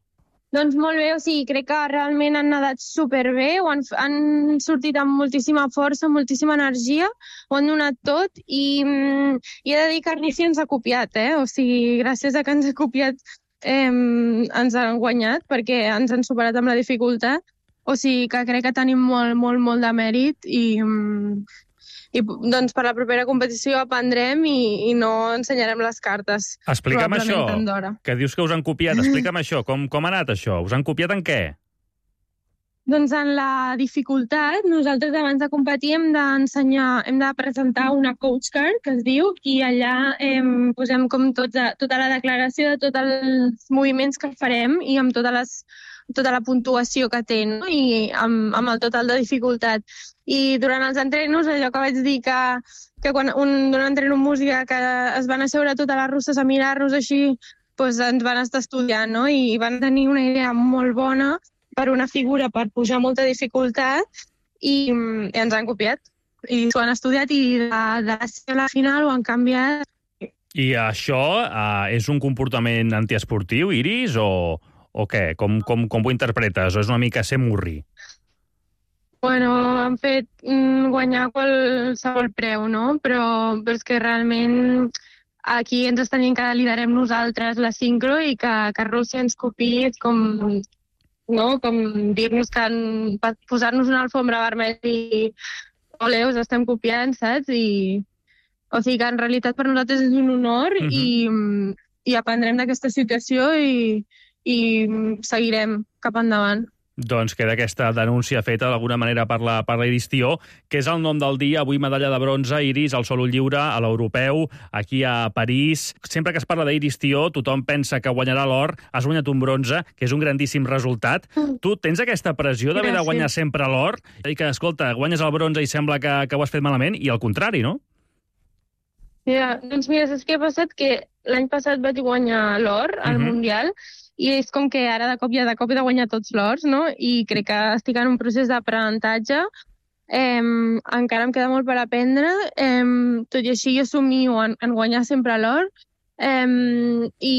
Doncs molt bé, o sigui, crec que realment han nedat superbé, ho han, han sortit amb moltíssima força, moltíssima energia, ho han donat tot i, i he de dir que Rússia ens ha copiat, eh? O sigui, gràcies a que ens ha copiat eh, ens han guanyat perquè ens han superat amb la dificultat. O sigui que crec que tenim molt, molt, molt de mèrit i, i doncs per la propera competició aprendrem i, i no ensenyarem les cartes. Explica'm això, que dius que us han copiat. Explica'm això, com, com ha anat això? Us han copiat en què? Doncs en la dificultat, nosaltres abans de competir hem d'ensenyar, hem de presentar una coach card, que es diu, i allà eh, posem com tota, tota la declaració de tots els moviments que farem i amb totes les tota la puntuació que té, no? I amb, amb el total de dificultat. I durant els entrenos, allò que vaig dir que, que quan un, un entreno en música que es van asseure totes les russes a mirar-nos així, doncs ens van estar estudiant, no? I van tenir una idea molt bona per una figura, per pujar molta dificultat, i, i ens han copiat. I s'ho han estudiat i de, de la final ho han canviat. I això uh, és un comportament antiesportiu, Iris, o... o què? Com, com, com ho interpretes? O és una mica ser murri? Bueno, han fet mm, guanyar qualsevol preu, no? Però, però és que realment aquí ens estan dient que liderem nosaltres la sincro i que, que Rússia ens copiï és com, no? Com dir-nos que posar-nos una alfombra vermella i ole, us estem copiant, saps? I, o sigui que en realitat per nosaltres és un honor uh-huh. i, i aprendrem d'aquesta situació i i seguirem cap endavant. Doncs queda aquesta denúncia feta d'alguna manera per la, per la Iris Tió, que és el nom del dia. Avui medalla de bronze, Iris, al solo lliure, a l'Europeu, aquí a París. Sempre que es parla d'Iris Tió, tothom pensa que guanyarà l'or. Has guanyat un bronze, que és un grandíssim resultat. Mm. Tu tens aquesta pressió d'haver de guanyar sempre l'or? I que, escolta, guanyes el bronze i sembla que, que ho has fet malament, i al contrari, no? Ja, doncs mira, saps què ha passat? Que l'any passat vaig guanyar l'or al mm-hmm. Mundial, i és com que ara de cop i de cop he de guanyar tots l'ors, no? I crec que estic en un procés d'aprenentatge. Eh, encara em queda molt per aprendre. Eh, tot i així jo somio en, en guanyar sempre l'or. Eh, i,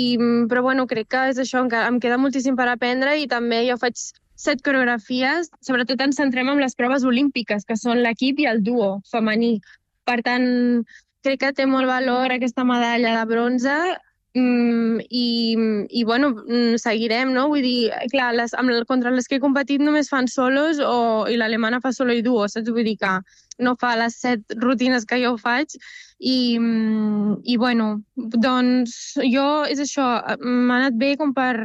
però bueno, crec que és això, encara em queda moltíssim per aprendre i també jo faig set coreografies, sobretot ens centrem en les proves olímpiques, que són l'equip i el duo femení. Per tant, crec que té molt valor aquesta medalla de bronze mm, i, i bueno, seguirem, no? Vull dir, clar, les, amb, contra les que he competit només fan solos o, i l'alemana fa solo i duo, saps? Vull dir que no fa les set rutines que jo faig i, i bueno, doncs jo, és això, m'ha anat bé com per,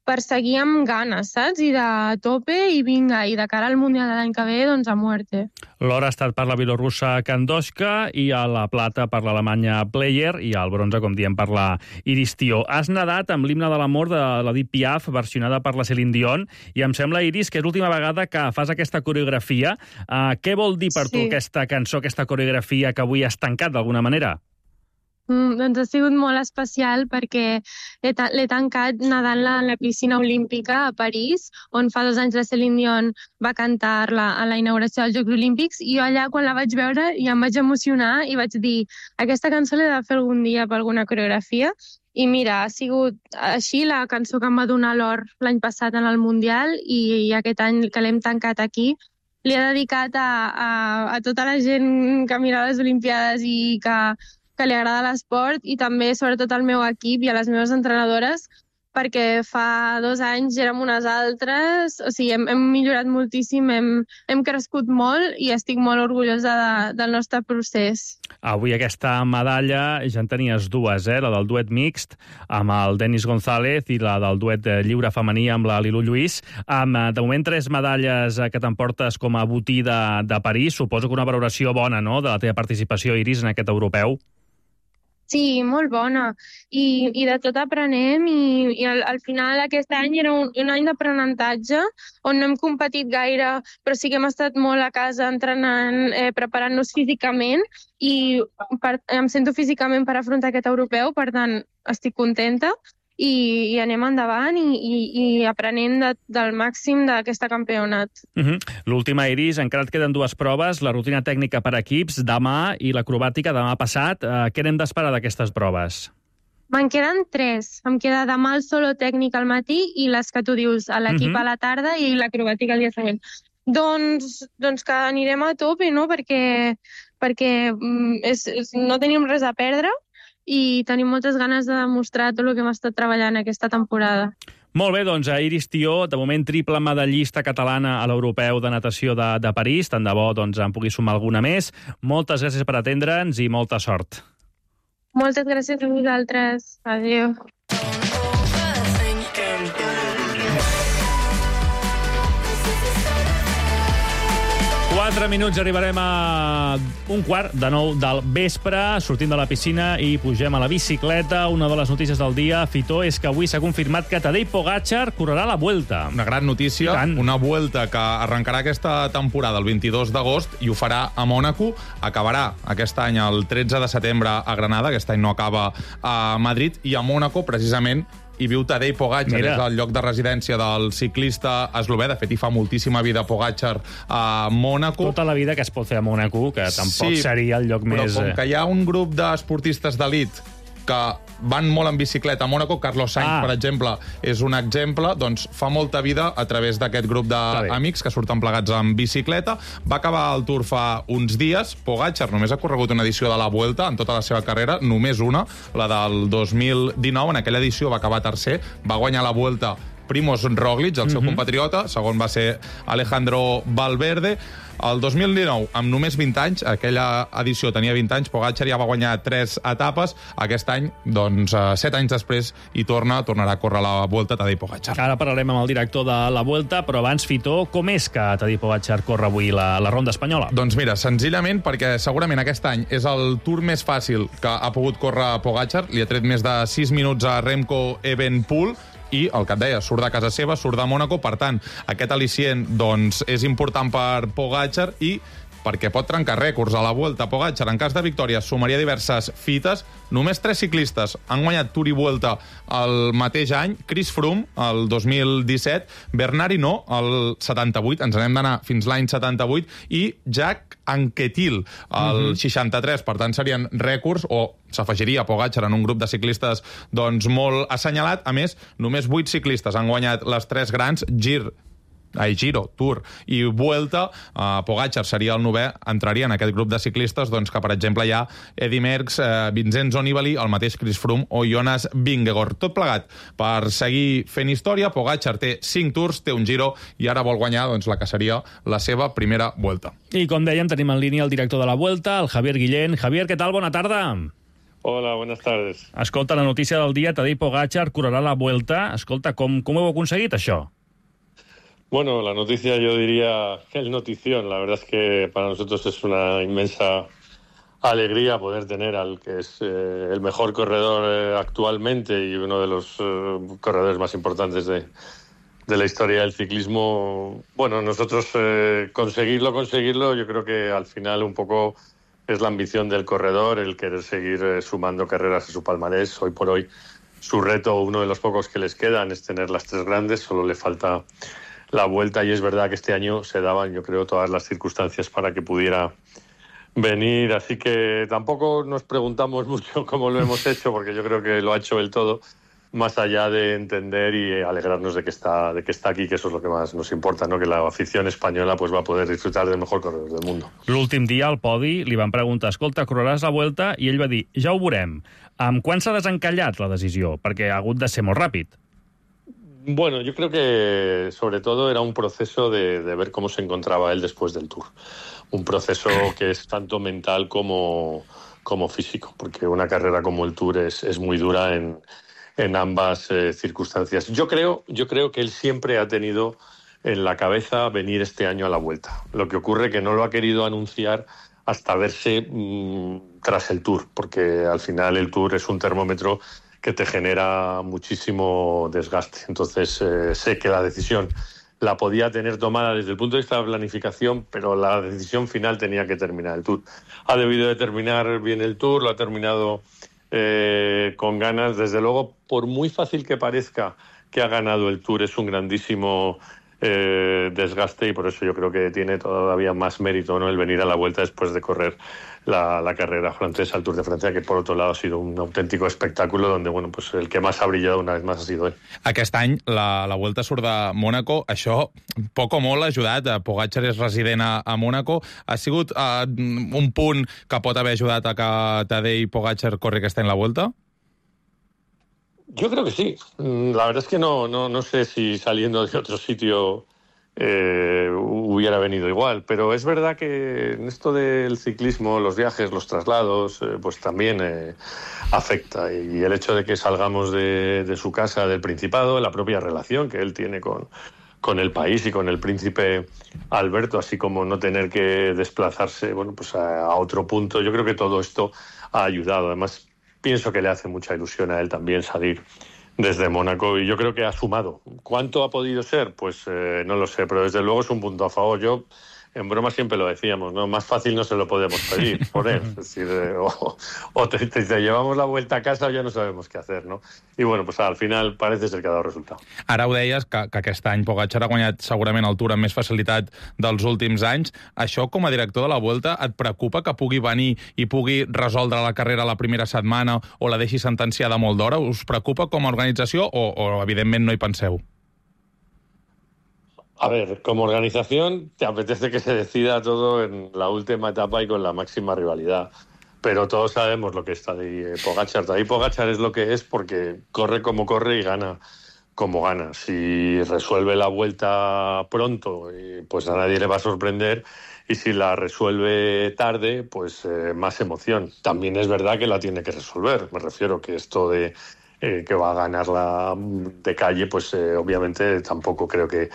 per seguir amb ganes, saps? I de tope i vinga, i de cara al Mundial de l'any que ve, doncs a muerte. L'or ha estat per la bielorrussa Kandoshka i a la plata per l'Alemanya Player i al bronze, com diem, per la Iris Tió. Has nadat amb l'himne de l'amor de l'Edith Piaf, versionada per la Céline Dion, i em sembla, Iris, que és l'última vegada que fas aquesta coreografia. Uh, què vol dir per sí. tu aquesta cançó, aquesta coreografia que avui has tancat d'alguna manera? Mm, doncs ha sigut molt especial perquè l'he, ta l'he tancat nedant-la en la piscina olímpica a París, on fa dos anys la Céline Dion va cantar-la a la inauguració dels Jocs Olímpics, i jo allà, quan la vaig veure, ja em vaig emocionar i vaig dir, aquesta cançó l'he de fer algun dia per alguna coreografia. I mira, ha sigut així la cançó que em va donar l'or l'any passat en el Mundial, i, i aquest any que l'hem tancat aquí li he dedicat a, a, a tota la gent que mira les Olimpiades i que que li agrada l'esport, i també, sobretot, al meu equip i a les meves entrenadores, perquè fa dos anys érem unes altres, o sigui, hem, hem millorat moltíssim, hem, hem crescut molt i estic molt orgullosa de, del nostre procés. Avui aquesta medalla ja en tenies dues, eh? La del duet mixt amb el Denis González i la del duet lliure femení amb la Lilu Lluís. Amb, de moment, tres medalles que t'emportes com a botí de, de París. Suposo que una valoració bona, no?, de la teva participació, Iris, en aquest europeu. Sí, molt bona. I, i de tot aprenem i, i al, al final aquest any era un, un any d'aprenentatge on no hem competit gaire, però sí que hem estat molt a casa entrenant, eh, preparant-nos físicament i per, em sento físicament per afrontar aquest europeu, per tant estic contenta. I, i anem endavant i, i, i aprenem de, del màxim d'aquesta campionat. Uh -huh. L'última, Iris, encara et queden dues proves, la rutina tècnica per equips demà i l'acrobàtica demà passat. Uh, què n'hem d'esperar d'aquestes proves? Me'n queden tres. Em queda demà el solo tècnic al matí i les que tu dius, a l'equip uh -huh. a la tarda i l'acrobàtica el dia següent. Doncs, doncs que anirem a tope, no?, perquè, perquè és, és, no tenim res a perdre i tenim moltes ganes de demostrar tot el que hem estat treballant aquesta temporada. Molt bé, doncs, Iris Tió, de moment triple medallista catalana a l'Europeu de Natació de, de París. Tant de bo doncs, en pugui sumar alguna més. Moltes gràcies per atendre'ns i molta sort. Moltes gràcies a vosaltres. Adéu. Quatre minuts, arribarem a un quart de nou del vespre, sortim de la piscina i pugem a la bicicleta. Una de les notícies del dia, Fitó, és que avui s'ha confirmat que Tadej Pogačar correrà la Vuelta. Una gran notícia, una Vuelta que arrencarà aquesta temporada el vint-i-dos d'agost i ho farà a Mònaco. Acabarà aquest any el tretze de setembre a Granada, aquest any no acaba a Madrid, i a Mònaco, precisament, hi viu Tadej Pogačar, és el lloc de residència del ciclista eslovè. De fet, hi fa moltíssima vida Pogačar a Mònaco. Tota la vida que es pot fer a Mònaco, que tampoc sí, seria el lloc però més... Però com que hi ha un grup d'esportistes d'elit que van molt en bicicleta a Mònaco, Carlos Sainz, ah. per exemple, és un exemple, doncs fa molta vida a través d'aquest grup d'amics que surten plegats en bicicleta. Va acabar el Tour fa uns dies. Pogačar només ha corregut una edició de la Vuelta en tota la seva carrera, només una, la del dos mil dinou. En aquella edició va acabar tercer, va guanyar la Vuelta Primož Roglič, el seu uh-huh. compatriota, segon va ser Alejandro Valverde. El dos mil dinou, amb només vint anys, aquella edició tenia vint anys, Pogačar ja va guanyar tres etapes. Aquest any, doncs, set anys després, i torna, tornarà a córrer la Vuelta Tadej Pogačar. Ara parlarem amb el director de la Vuelta, però abans, Fitó, com és que Tadej Pogačar corre avui la, la ronda espanyola? Doncs mira, senzillament perquè segurament aquest any és el Tour més fàcil que ha pogut córrer Pogačar. Li ha tret més de sis minuts a Remco Evenepoel, i el que et deia, surt de casa seva, surt de Mònaco, per tant, aquest al·licient doncs, és important per Pogačar i perquè pot trencar rècords a la Vuelta. Pogačar, en cas de victòria, sumaria diverses fites. Només tres ciclistes han guanyat Tour i Vuelta el mateix any. Chris Froome, el dos mil disset, Bernard Hinault, el setanta-vuit, ens n'hem d'anar fins l'any setanta-vuit, i Jack Anquetil, el uh-huh. seixanta-tres. Per tant, serien rècords, o s'afegiria Pogačar en un grup de ciclistes doncs, molt assenyalat. A més, només vuit ciclistes han guanyat les tres grans, Gir, ai, Giro, Tour i Vuelta, uh, Pogačar seria el novè, entraria en aquest grup de ciclistes doncs, que, per exemple, hi ha Eddy Merckx, eh, Vincenzo Nibali, el mateix Chris Froome o Jonas Vingegaard. Tot plegat per seguir fent història. Pogačar té cinc Tours, té un Giro i ara vol guanyar doncs, la que seria la seva primera Vuelta. I com dèiem, tenim en línia el director de la Vuelta, el Javier Guillén. Javier, què tal? Bona tarda. Hola, buenas tardes. Escolta, la notícia del dia, Tadej Pogačar correrà la Vuelta. Escolta, com, com heu aconseguit això? Bueno, la noticia yo diría que es notición. La verdad es que para nosotros es una inmensa alegría poder tener al que es eh, el mejor corredor eh, actualmente y uno de los eh, corredores más importantes de, de la historia del ciclismo. Bueno, nosotros eh, conseguirlo, conseguirlo, yo creo que al final un poco es la ambición del corredor, el querer seguir eh, sumando carreras a su palmarés. Hoy por hoy su reto, uno de los pocos que les quedan, es tener las tres grandes, solo le falta la Vuelta y es verdad que este año se daban, yo creo, todas las circunstancias para que pudiera venir, así que tampoco nos preguntamos mucho cómo lo hemos hecho, porque yo creo que lo ha hecho él todo, más allá de entender y alegrarnos de que está de que está aquí, que eso es lo que más nos importa, ¿no? Que la afición española pues va a poder disfrutar del mejor corredor del mundo. L'últim dia al podi li van preguntar, escolta, correràs la Vuelta? I ell va dir, ja ho veurem. Amb quan s'ha desencallat la decisió? Perquè ha hagut de ser molt ràpid. Bueno, yo creo que sobre todo era un proceso de, de ver cómo se encontraba él después del Tour. Un proceso que es tanto mental como, como físico, porque una carrera como el Tour es, es muy dura en, en ambas eh, circunstancias. Yo creo, yo creo que él siempre ha tenido en la cabeza venir este año a la Vuelta. Lo que ocurre que no lo ha querido anunciar hasta verse mmm, tras el Tour, porque al final el Tour es un termómetro que te genera muchísimo desgaste. Entonces, eh, sé que la decisión la podía tener tomada desde el punto de vista de la planificación, pero la decisión final tenía que terminar el Tour. Ha debido de terminar bien el Tour, lo ha terminado eh, con ganas. Desde luego, por muy fácil que parezca que ha ganado el Tour, es un grandísimo eh, desgaste y por eso yo creo que tiene todavía más mérito, ¿no?, el venir a la Vuelta después de correr La, la carrera francesa, el Tour de Francia, que por otro lado ha sido un auténtico espectáculo donde, bueno, pues el que más ha brillado una vez más ha sido él. Aquest any la, la Vuelta surt de Mònaco, això poc o molt ha ajudat. Pogačar és resident a, a Mònaco. Ha sigut uh, un punt que pot haver ajudat a que Tadej Pogačar corri aquest any la Vuelta? Yo creo que sí. La verdad es que no, no, no sé si saliendo de otro sitio Eh, hubiera venido igual, pero es verdad que en esto del ciclismo, los viajes, los traslados, eh, pues también eh, afecta, y el hecho de que salgamos de, de su casa, del Principado, la propia relación que él tiene con, con el país y con el príncipe Alberto, así como no tener que desplazarse, bueno, pues a, a otro punto, yo creo que todo esto ha ayudado. Además, pienso que le hace mucha ilusión a él también salir desde Mónaco y yo creo que ha sumado. ¿Cuánto ha podido ser? Pues eh, no lo sé, pero desde luego es un punto a favor. Yo, en broma siempre lo decíamos, ¿no? Más fácil no se lo podemos pedir, por él. Es decir, eh, o, o te, te, te llevamos la vuelta a casa o ya no sabemos qué hacer, ¿no? Y bueno, pues al final parece ser que ha dado resultat. Ara ho deies, que, que aquest any Pogačar ha guanyat segurament el Tour amb més facilitat dels últims anys. Això, com a director de la Vuelta, et preocupa que pugui venir i pugui resoldre la carrera la primera setmana o la deixi sentenciada molt d'hora? Us preocupa com a organització o, o evidentment, no hi penseu? A ver, como organización te apetece que se decida todo en la última etapa y con la máxima rivalidad. Pero todos sabemos lo que está de Pogačar. Tadej Pogačar es lo que es porque corre como corre y gana como gana. Si resuelve la Vuelta pronto, pues a nadie le va a sorprender. Y si la resuelve tarde, pues eh, más emoción. También es verdad que la tiene que resolver. Me refiero que esto de eh, que va a ganarla de calle, pues eh, obviamente tampoco creo que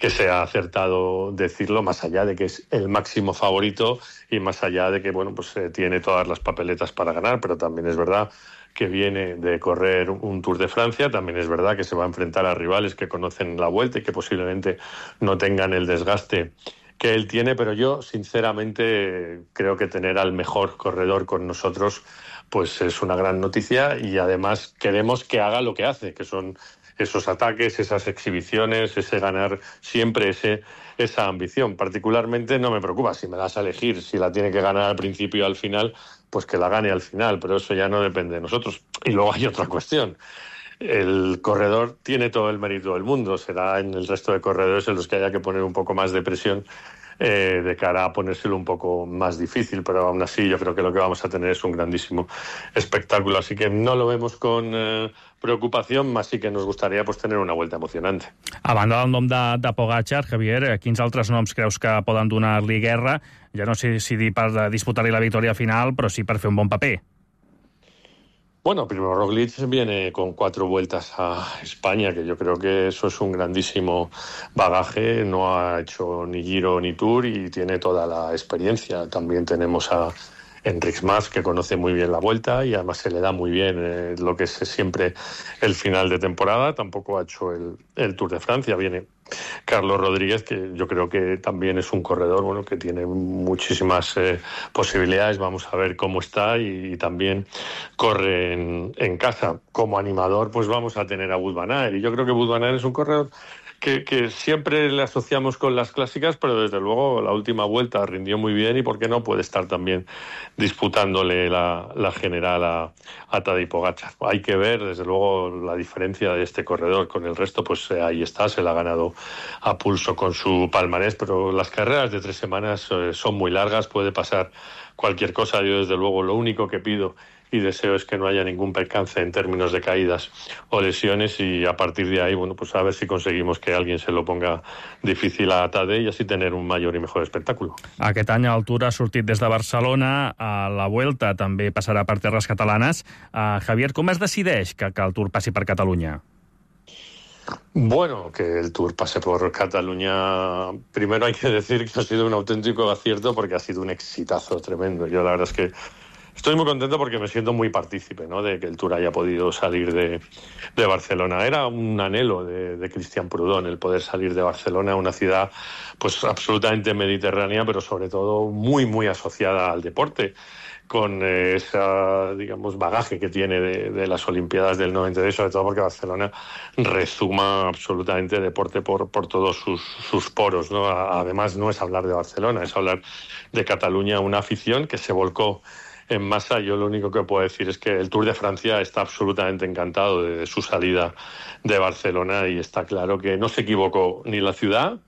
que sea acertado decirlo, más allá de que es el máximo favorito y más allá de que, bueno, pues eh, tiene todas las papeletas para ganar, pero también es verdad que viene de correr un Tour de Francia, también es verdad que se va a enfrentar a rivales que conocen la Vuelta y que posiblemente no tengan el desgaste que él tiene, pero yo sinceramente creo que tener al mejor corredor con nosotros pues es una gran noticia y además queremos que haga lo que hace, que son esos ataques, esas exhibiciones, ese ganar siempre, ese, esa ambición. Particularmente no me preocupa si me das a elegir, si la tiene que ganar al principio o al final, pues que la gane al final, pero eso ya no depende de nosotros. Y luego hay otra cuestión. el corredor tiene todo el mérito del mundo. Será en el resto de corredores en los que haya que poner un poco más de presión eh, de cara a ponérselo un poco más difícil, pero aún así yo creo que lo que vamos a tener es un grandísimo espectáculo, así que no lo vemos con eh, preocupación, más sí que nos gustaría pues, tener una vuelta emocionante. A banda del nom de, de Pogačar, Javier, quins altres noms creus que poden donar-li guerra? Ja no sé si dir per disputar-li la victòria final, però sí per fer un bon paper. Bueno, primero Roglic viene con cuatro vueltas a España, que yo creo que eso es un grandísimo bagaje. No ha hecho ni Giro ni Tour y tiene toda la experiencia. También tenemos a Enric Mas, que conoce muy bien la Vuelta y además se le da muy bien eh, lo que es siempre el final de temporada. Tampoco ha hecho el, el Tour de Francia. Viene Carlos Rodríguez, que yo creo que también es un corredor bueno que tiene muchísimas eh, posibilidades. Vamos a ver cómo está y, y también corre en, en casa. Como animador, pues vamos a tener a Wout van Aert. Y yo creo que Wout van Aert es un corredor Que, que siempre le asociamos con las clásicas, pero desde luego la última vuelta rindió muy bien y por qué no puede estar también disputándole la, la general a, a Tadej Pogačar. Hay que ver desde luego la diferencia de este corredor con el resto, pues eh, ahí está, se la ha ganado a pulso con su palmarés, pero las carreras de tres semanas eh, son muy largas, puede pasar cualquier cosa. Yo desde luego lo único que pido y deseo es que no haya ningún percance en términos de caídas o lesiones y a partir de ahí, bueno, pues a ver si conseguimos que alguien se lo ponga difícil a Tadej y así tener un mayor i mejor espectáculo. Aquest any el Tour ha sortit des de Barcelona, a la Vuelta també passarà per terres catalanes. Uh, Javier, com es decideix que, que el Tour passi per Catalunya? Bueno, que el Tour pase por Cataluña, primero hay que decir que ha sido un auténtico acierto porque ha sido un exitazo tremendo. Yo la verdad es que estoy muy contento porque me siento muy partícipe, ¿no?, de que el Tour haya podido salir de, de Barcelona. Era un anhelo de, de Cristian Prudón el poder salir de Barcelona, una ciudad pues absolutamente mediterránea, pero sobre todo muy, muy asociada al deporte, con eh, esa, digamos, bagaje que tiene de, de las Olimpiadas del noventa y dos, sobre todo porque Barcelona rezuma absolutamente deporte por, por todos sus, sus poros, ¿no? Además, no es hablar de Barcelona, es hablar de Cataluña, una afición que se volcó en masa. Yo lo único que puedo decir es que el Tour de Francia está absolutamente encantado de su salida de Barcelona y está claro que no se equivocó ni la ciudad,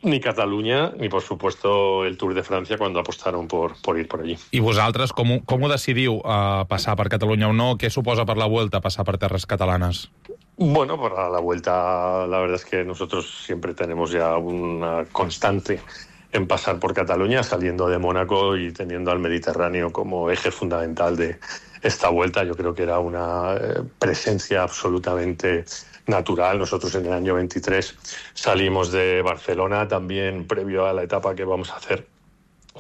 ni Catalunya, ni, por supuesto, el Tour de Francia cuando apostaron por, por ir por allí. I vosaltres, com, com ho decidiu, uh, passar per Catalunya o no? Què suposa per la Vuelta passar per terres catalanes? Bueno, para la Vuelta, la verdad es que nosotros siempre tenemos ya una constante en pasar por Cataluña, saliendo de Mónaco y teniendo al Mediterráneo como eje fundamental de esta Vuelta. Yo creo que era una eh, presencia absolutamente natural. Nosotros en el año veintitrés salimos de Barcelona, también previo a la etapa que vamos a hacer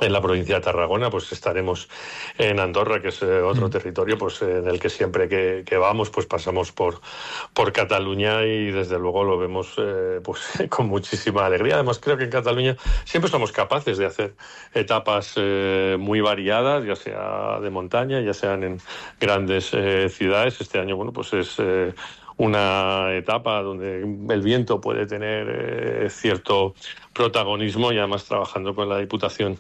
en la provincia de Tarragona, pues estaremos en Andorra, que es eh, otro mm. territorio pues en el que siempre que, que vamos pues pasamos por, por Cataluña y desde luego lo vemos eh, pues con muchísima alegría. Además creo que en Cataluña siempre somos capaces de hacer etapas eh, muy variadas, ya sea de montaña, ya sean en grandes eh, ciudades. Este año bueno pues es eh, una etapa donde el viento puede tener eh, cierto protagonismo y además trabajando con la Diputación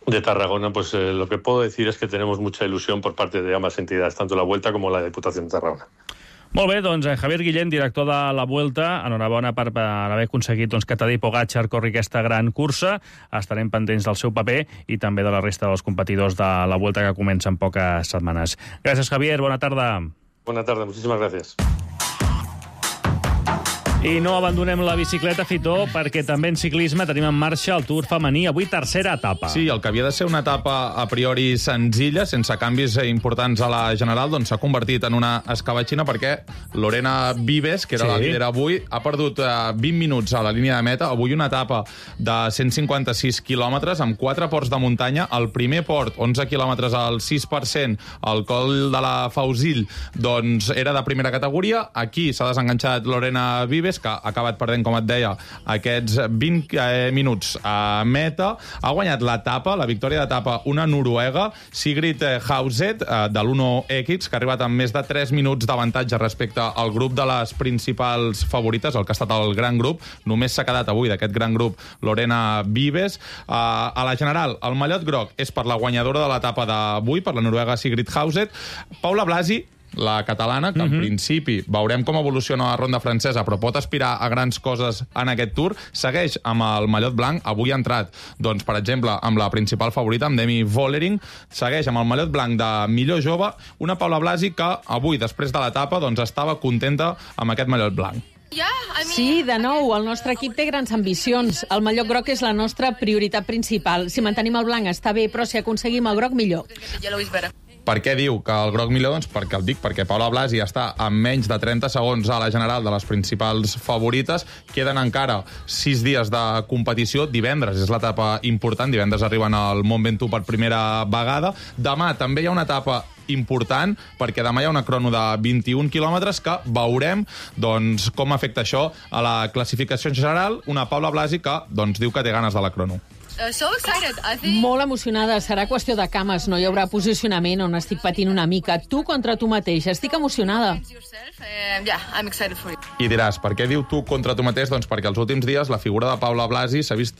de Tarragona, pues eh, lo que puedo decir es que tenemos mucha ilusión por parte de ambas entidades, tanto la Vuelta como la Diputación de Tarragona. Molt bé, doncs Javier Guillén, director de la Vuelta, enhorabona per, per haver aconseguit doncs, que Tadej Pogačar corri aquesta gran cursa. Estarem pendents del seu paper i també de la resta dels competidors de la Vuelta que comença en poques setmanes. Gràcies, Javier, bona tarda. Bona tarda, muchísimas gracias. I no abandonem la bicicleta, Fitó, perquè també en ciclisme tenim en marxa el Tour femení. Avui tercera etapa. Sí, el que havia de ser una etapa a priori senzilla, sense canvis importants a la general, doncs s'ha convertit en una escabatxina perquè Lorena Vives, que era sí. la líder avui, ha perdut uh, vint minuts a la línia de meta. Avui una etapa de cent cinquanta-sis quilòmetres amb quatre ports de muntanya. El primer port, onze quilòmetres al sis per cent, el coll de la Fausill, doncs era de primera categoria. Aquí s'ha desenganxat Lorena Vives, que ha acabat perdent, com et deia, aquests vint eh, minuts a meta. Ha guanyat l'etapa, la victòria d'etapa, una noruega, Sigrid Hauset, eh, de l'Uno X, que ha arribat amb més de tres minuts d'avantatge respecte al grup de les principals favorites, el que ha estat el gran grup. Només s'ha quedat avui d'aquest gran grup Lorena Vives. Eh, a la general, el mallot groc és per la guanyadora de l'etapa d'avui, per la noruega Sigrid Hauset. Paula Blasi la catalana, que en Mhm. principi veurem com evoluciona la ronda francesa, però pot aspirar a grans coses en aquest Tour. Segueix amb el mallot blanc, avui ha entrat, doncs, per exemple, amb la principal favorita, amb Demi Vollering, segueix amb el mallot blanc de millor jove, una Paula Blasi que avui, després de l'etapa, doncs, estava contenta amb aquest mallot blanc. Sí, de nou, el nostre equip té grans ambicions. El mallot groc és la nostra prioritat principal. Si mantenim el blanc està bé, però si aconseguim el groc, millor. Per què diu que el groc millor? Doncs perquè el dic, perquè Paula Blasi està amb menys de trenta segons a la general de les principals favorites. Queden encara sis dies de competició. Divendres és l'etapa important. Divendres arriben al Mont Ventoux per primera vegada. Demà també hi ha una etapa important, perquè demà hi ha una crono de vint-i-un quilòmetres que veurem doncs, com afecta això a la classificació general. Una Paula Blasi que doncs, diu que té ganes de la crono. Uh, so excited. I think... Molt emocionada. Serà qüestió de cames. No hi haurà posicionament on estic patint una mica. Tu contra tu mateix. Estic emocionada. I diràs, per què diu tu contra tu mateix? Doncs perquè els últims dies la figura de Paula Blasi s'ha vist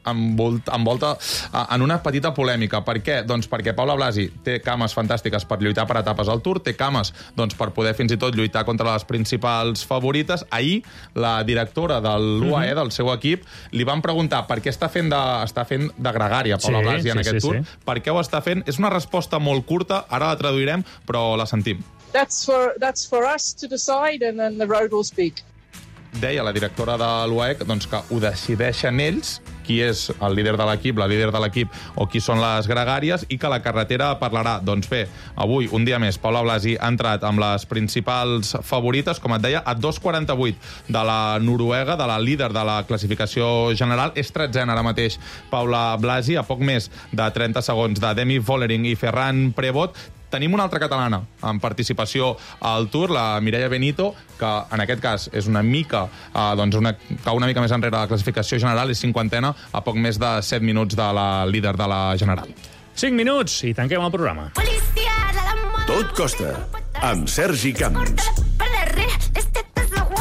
envolta, envolta en una petita polèmica. Per què? Doncs perquè Paula Blasi té cames fantàstiques per lluitar per etapes al Tour, té cames doncs, per poder fins i tot lluitar contra les principals favorites. Ahir, la directora de l'U A E, del seu equip, li van preguntar per què està fent de, està fent de gregària Paula Sí, Blasi en sí, aquest sí, Tour, sí. per què ho està fent. És una resposta molt curta, ara la traduirem, però la sentim. That's for that's for us to decide, and then the road will speak. Deia la directora de l'U A E doncs, que ho decideixen ells, qui és el líder de l'equip, la líder de l'equip, o qui són les gregàries, i que la carretera parlarà. Doncs bé, avui, un dia més, Paula Blasi ha entrat amb les principals favorites, com et deia, a dos quaranta-vuit de la noruega, de la líder de la classificació general. És tretzena ara mateix Paula Blasi, a poc més de trenta segons de Demi Vollering i Ferran Prevot. Tenim una altra catalana en participació al Tour, la Mireia Benito, que en aquest cas és una mica, eh, doncs una, cau una mica més enrere de la classificació general, és cinquantena, a poc més de set minuts de la líder de la general. cinc minuts i tanquem el programa. Tot costa, amb Sergi Camps.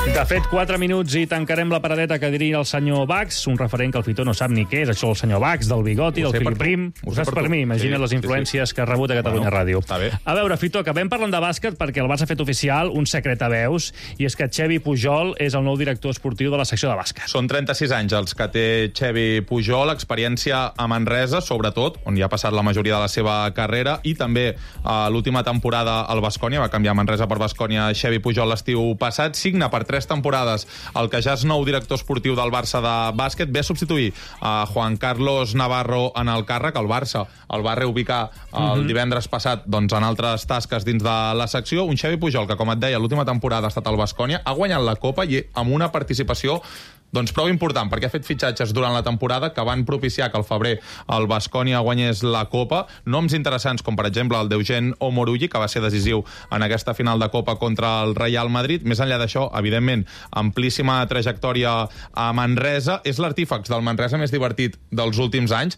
De fet, quatre minuts i tancarem la paradeta que diria el senyor Bax, un referent que el Fitó no sap ni què és, això el senyor Bax, del bigoti, Ho del sé per filiprim. tu. Ho Ho sé saps per per tu. mi? Imagina't Sí, les sí, influències sí. que ha rebut a Catalunya Bueno, Ràdio. està bé. A veure, Fitó, acabem parlant de bàsquet perquè el Barça ha fet oficial un secret a veus, i és que Xevi Pujol és el nou director esportiu de la secció de bàsquet. Són trenta-sis anys els que té Xevi Pujol, experiència a Manresa, sobretot, on hi ha passat la majoria de la seva carrera, i també a l'última temporada al Baskonia, va canviar Manresa per Baskonia Xevi Pujol l'estiu passat, signa per tres temporades el que ja és nou director esportiu del Barça de bàsquet, ve a substituir a Juan Carlos Navarro en el càrrec. El Barça el va reubicar el Mhm. divendres passat doncs, en altres tasques dins de la secció. Un Xevi Pujol que, com et deia, l'última temporada ha estat al Baskonia, ha guanyat la Copa i amb una participació doncs prou important, perquè ha fet fitxatges durant la temporada que van propiciar que al febrer el Baskonia guanyés la Copa. Noms interessants, com per exemple el d'Eugen Omorulli, que va ser decisiu en aquesta final de Copa contra el Real Madrid. Més enllà d'això, evidentment, amplíssima trajectòria a Manresa. És l'artífex del Manresa més divertit dels últims anys.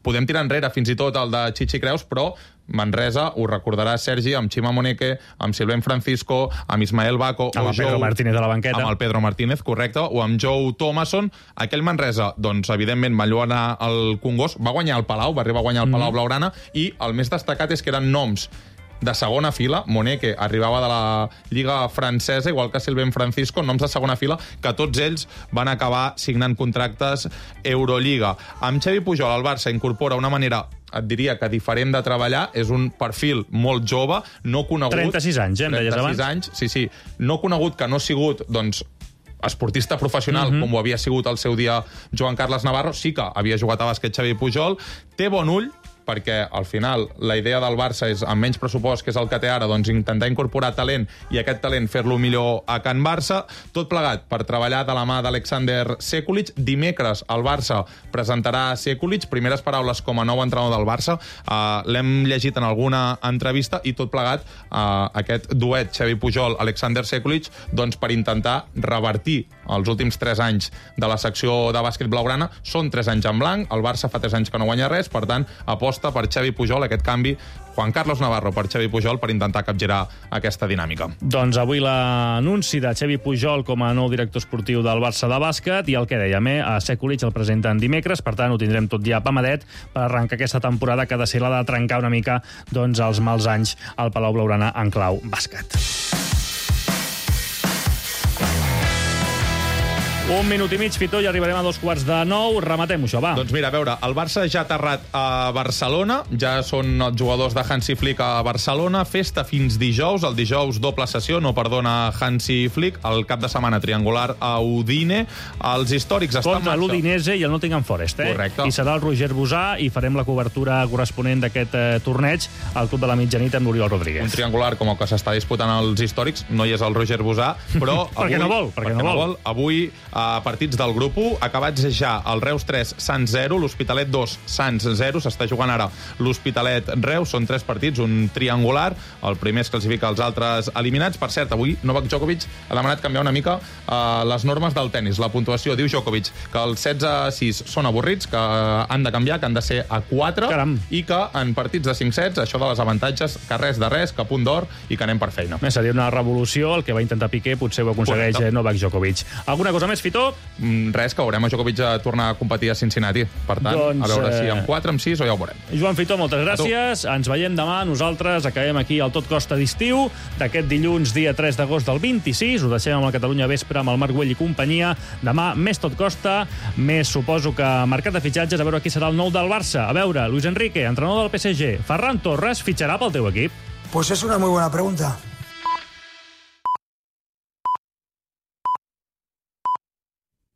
Podem tirar enrere fins i tot el de Chichi Creus, però Manresa, ho recordarà Sergi, amb Chima Moneke, amb Silvén Francisco, amb Ismael Baco... Amb o el Pedro Joe, Martínez a la banqueta. Amb el Pedro Martínez, correcte, o amb Joe Thomason. Aquell Manresa, doncs, evidentment, va lluar al Congost, va guanyar el Palau, va arribar a guanyar el Palau Mhm. Blaugrana, i el més destacat és que eren noms de segona fila. Moneke arribava de la Lliga Francesa, igual que Silvén Francisco, noms de segona fila, que tots ells van acabar signant contractes Euroliga. Amb Xevi Pujol, el Barça incorpora una manera, et diria que diferent de treballar, és un perfil molt jove, no conegut... trenta-sis anys, eh, em deies abans? trenta-sis anys, sí, sí. No conegut, que no ha sigut, doncs, esportista professional, Mhm. com ho havia sigut al seu dia Joan Carles Navarro, sí que havia jugat a bàsquet Xavi Pujol, té bon ull, perquè al final la idea del Barça és, amb menys pressupost que és el que té ara, doncs intentar incorporar talent i aquest talent fer-lo millor a Can Barça, tot plegat per treballar de la mà d'Alexander Sekulic. Dimecres el Barça presentarà Sekulic, primeres paraules com a nou entrenador del Barça, uh, l'hem llegit en alguna entrevista, i tot plegat uh, aquest duet Xavi Pujol-Alexander Sekulic, doncs per intentar revertir els últims tres anys de la secció de bàsquet blaugrana. Són tres anys en blanc, el Barça fa tres anys que no guanya res, per tant, aposta aposta per Xavi Pujol, aquest canvi, Juan Carlos Navarro per Xavi Pujol, per intentar capgirar aquesta dinàmica. Doncs avui l'anunci de Xavi Pujol com a nou director esportiu del Barça de bàsquet, i el que dèiem, eh, a Sekulic el presenten dimecres, per tant ho tindrem tot ja pamadet per arrencar aquesta temporada que ha de ser la de trencar una mica doncs, els mals anys al Palau Blaugrana en clau bàsquet. Un minut i mig, Fitó, i arribarem a dos quarts de nou. Rematem això, va. Doncs mira, a veure, el Barça ja ha aterrat a Barcelona, ja són els jugadors de Hansi Flick a Barcelona, festa fins dijous, el dijous doble sessió, no perdona Hansi Flick, el cap de setmana triangular a Udine, els històrics estan contra l'Udinese i el Nottingham Forest, eh? Correcte. I serà el Roger Bosà i farem la cobertura corresponent d'aquest eh, torneig al Club de la Mitjanit amb l'Oriol Rodríguez. Un triangular com el que s'està disputant als històrics, no hi és el Roger Bosà, però avui... perquè no vol, perquè, perquè no, no vol. Avui, a partits del grup u, acabats ja el Reus tres, Sants zero, l'Hospitalet dos, Sants zero, s'està jugant ara l'Hospitalet Reus, són tres partits, un triangular, el primer es classifica, els altres eliminats. Per cert, avui Novak Djokovic ha demanat canviar una mica uh, les normes del tennis, la puntuació. Diu Djokovic que els setze a sis són avorrits, que han de canviar, que han de ser a quatre, Caram. I que en partits de cinc sets, això de les avantatges, que res de res, que punt d'or i que anem per feina. Eh, seria una revolució, el que va intentar Piqué potser ho aconsegueix Correcte. Novak Djokovic. Alguna cosa més, Fitó? Mm, res, que veurem a Djokovic a tornar a competir a Cincinnati. Per tant, doncs, a veure si amb quatre, amb sis o ja ho veurem. Joan Fitó, moltes gràcies. Ens veiem demà. Nosaltres acabem aquí al Tot Costa d'estiu d'aquest dilluns, dia tres d'agost del vint-i-sis. Ho deixem amb la Catalunya Vespre amb el Marc Güell i companyia. Demà més Tot Costa, més suposo que mercat de fitxatges, a veure qui serà el nou del Barça. A veure, Luis Enrique, entrenador del P S G. Ferran Torres fitxarà pel teu equip? Pues es una muy buena pregunta.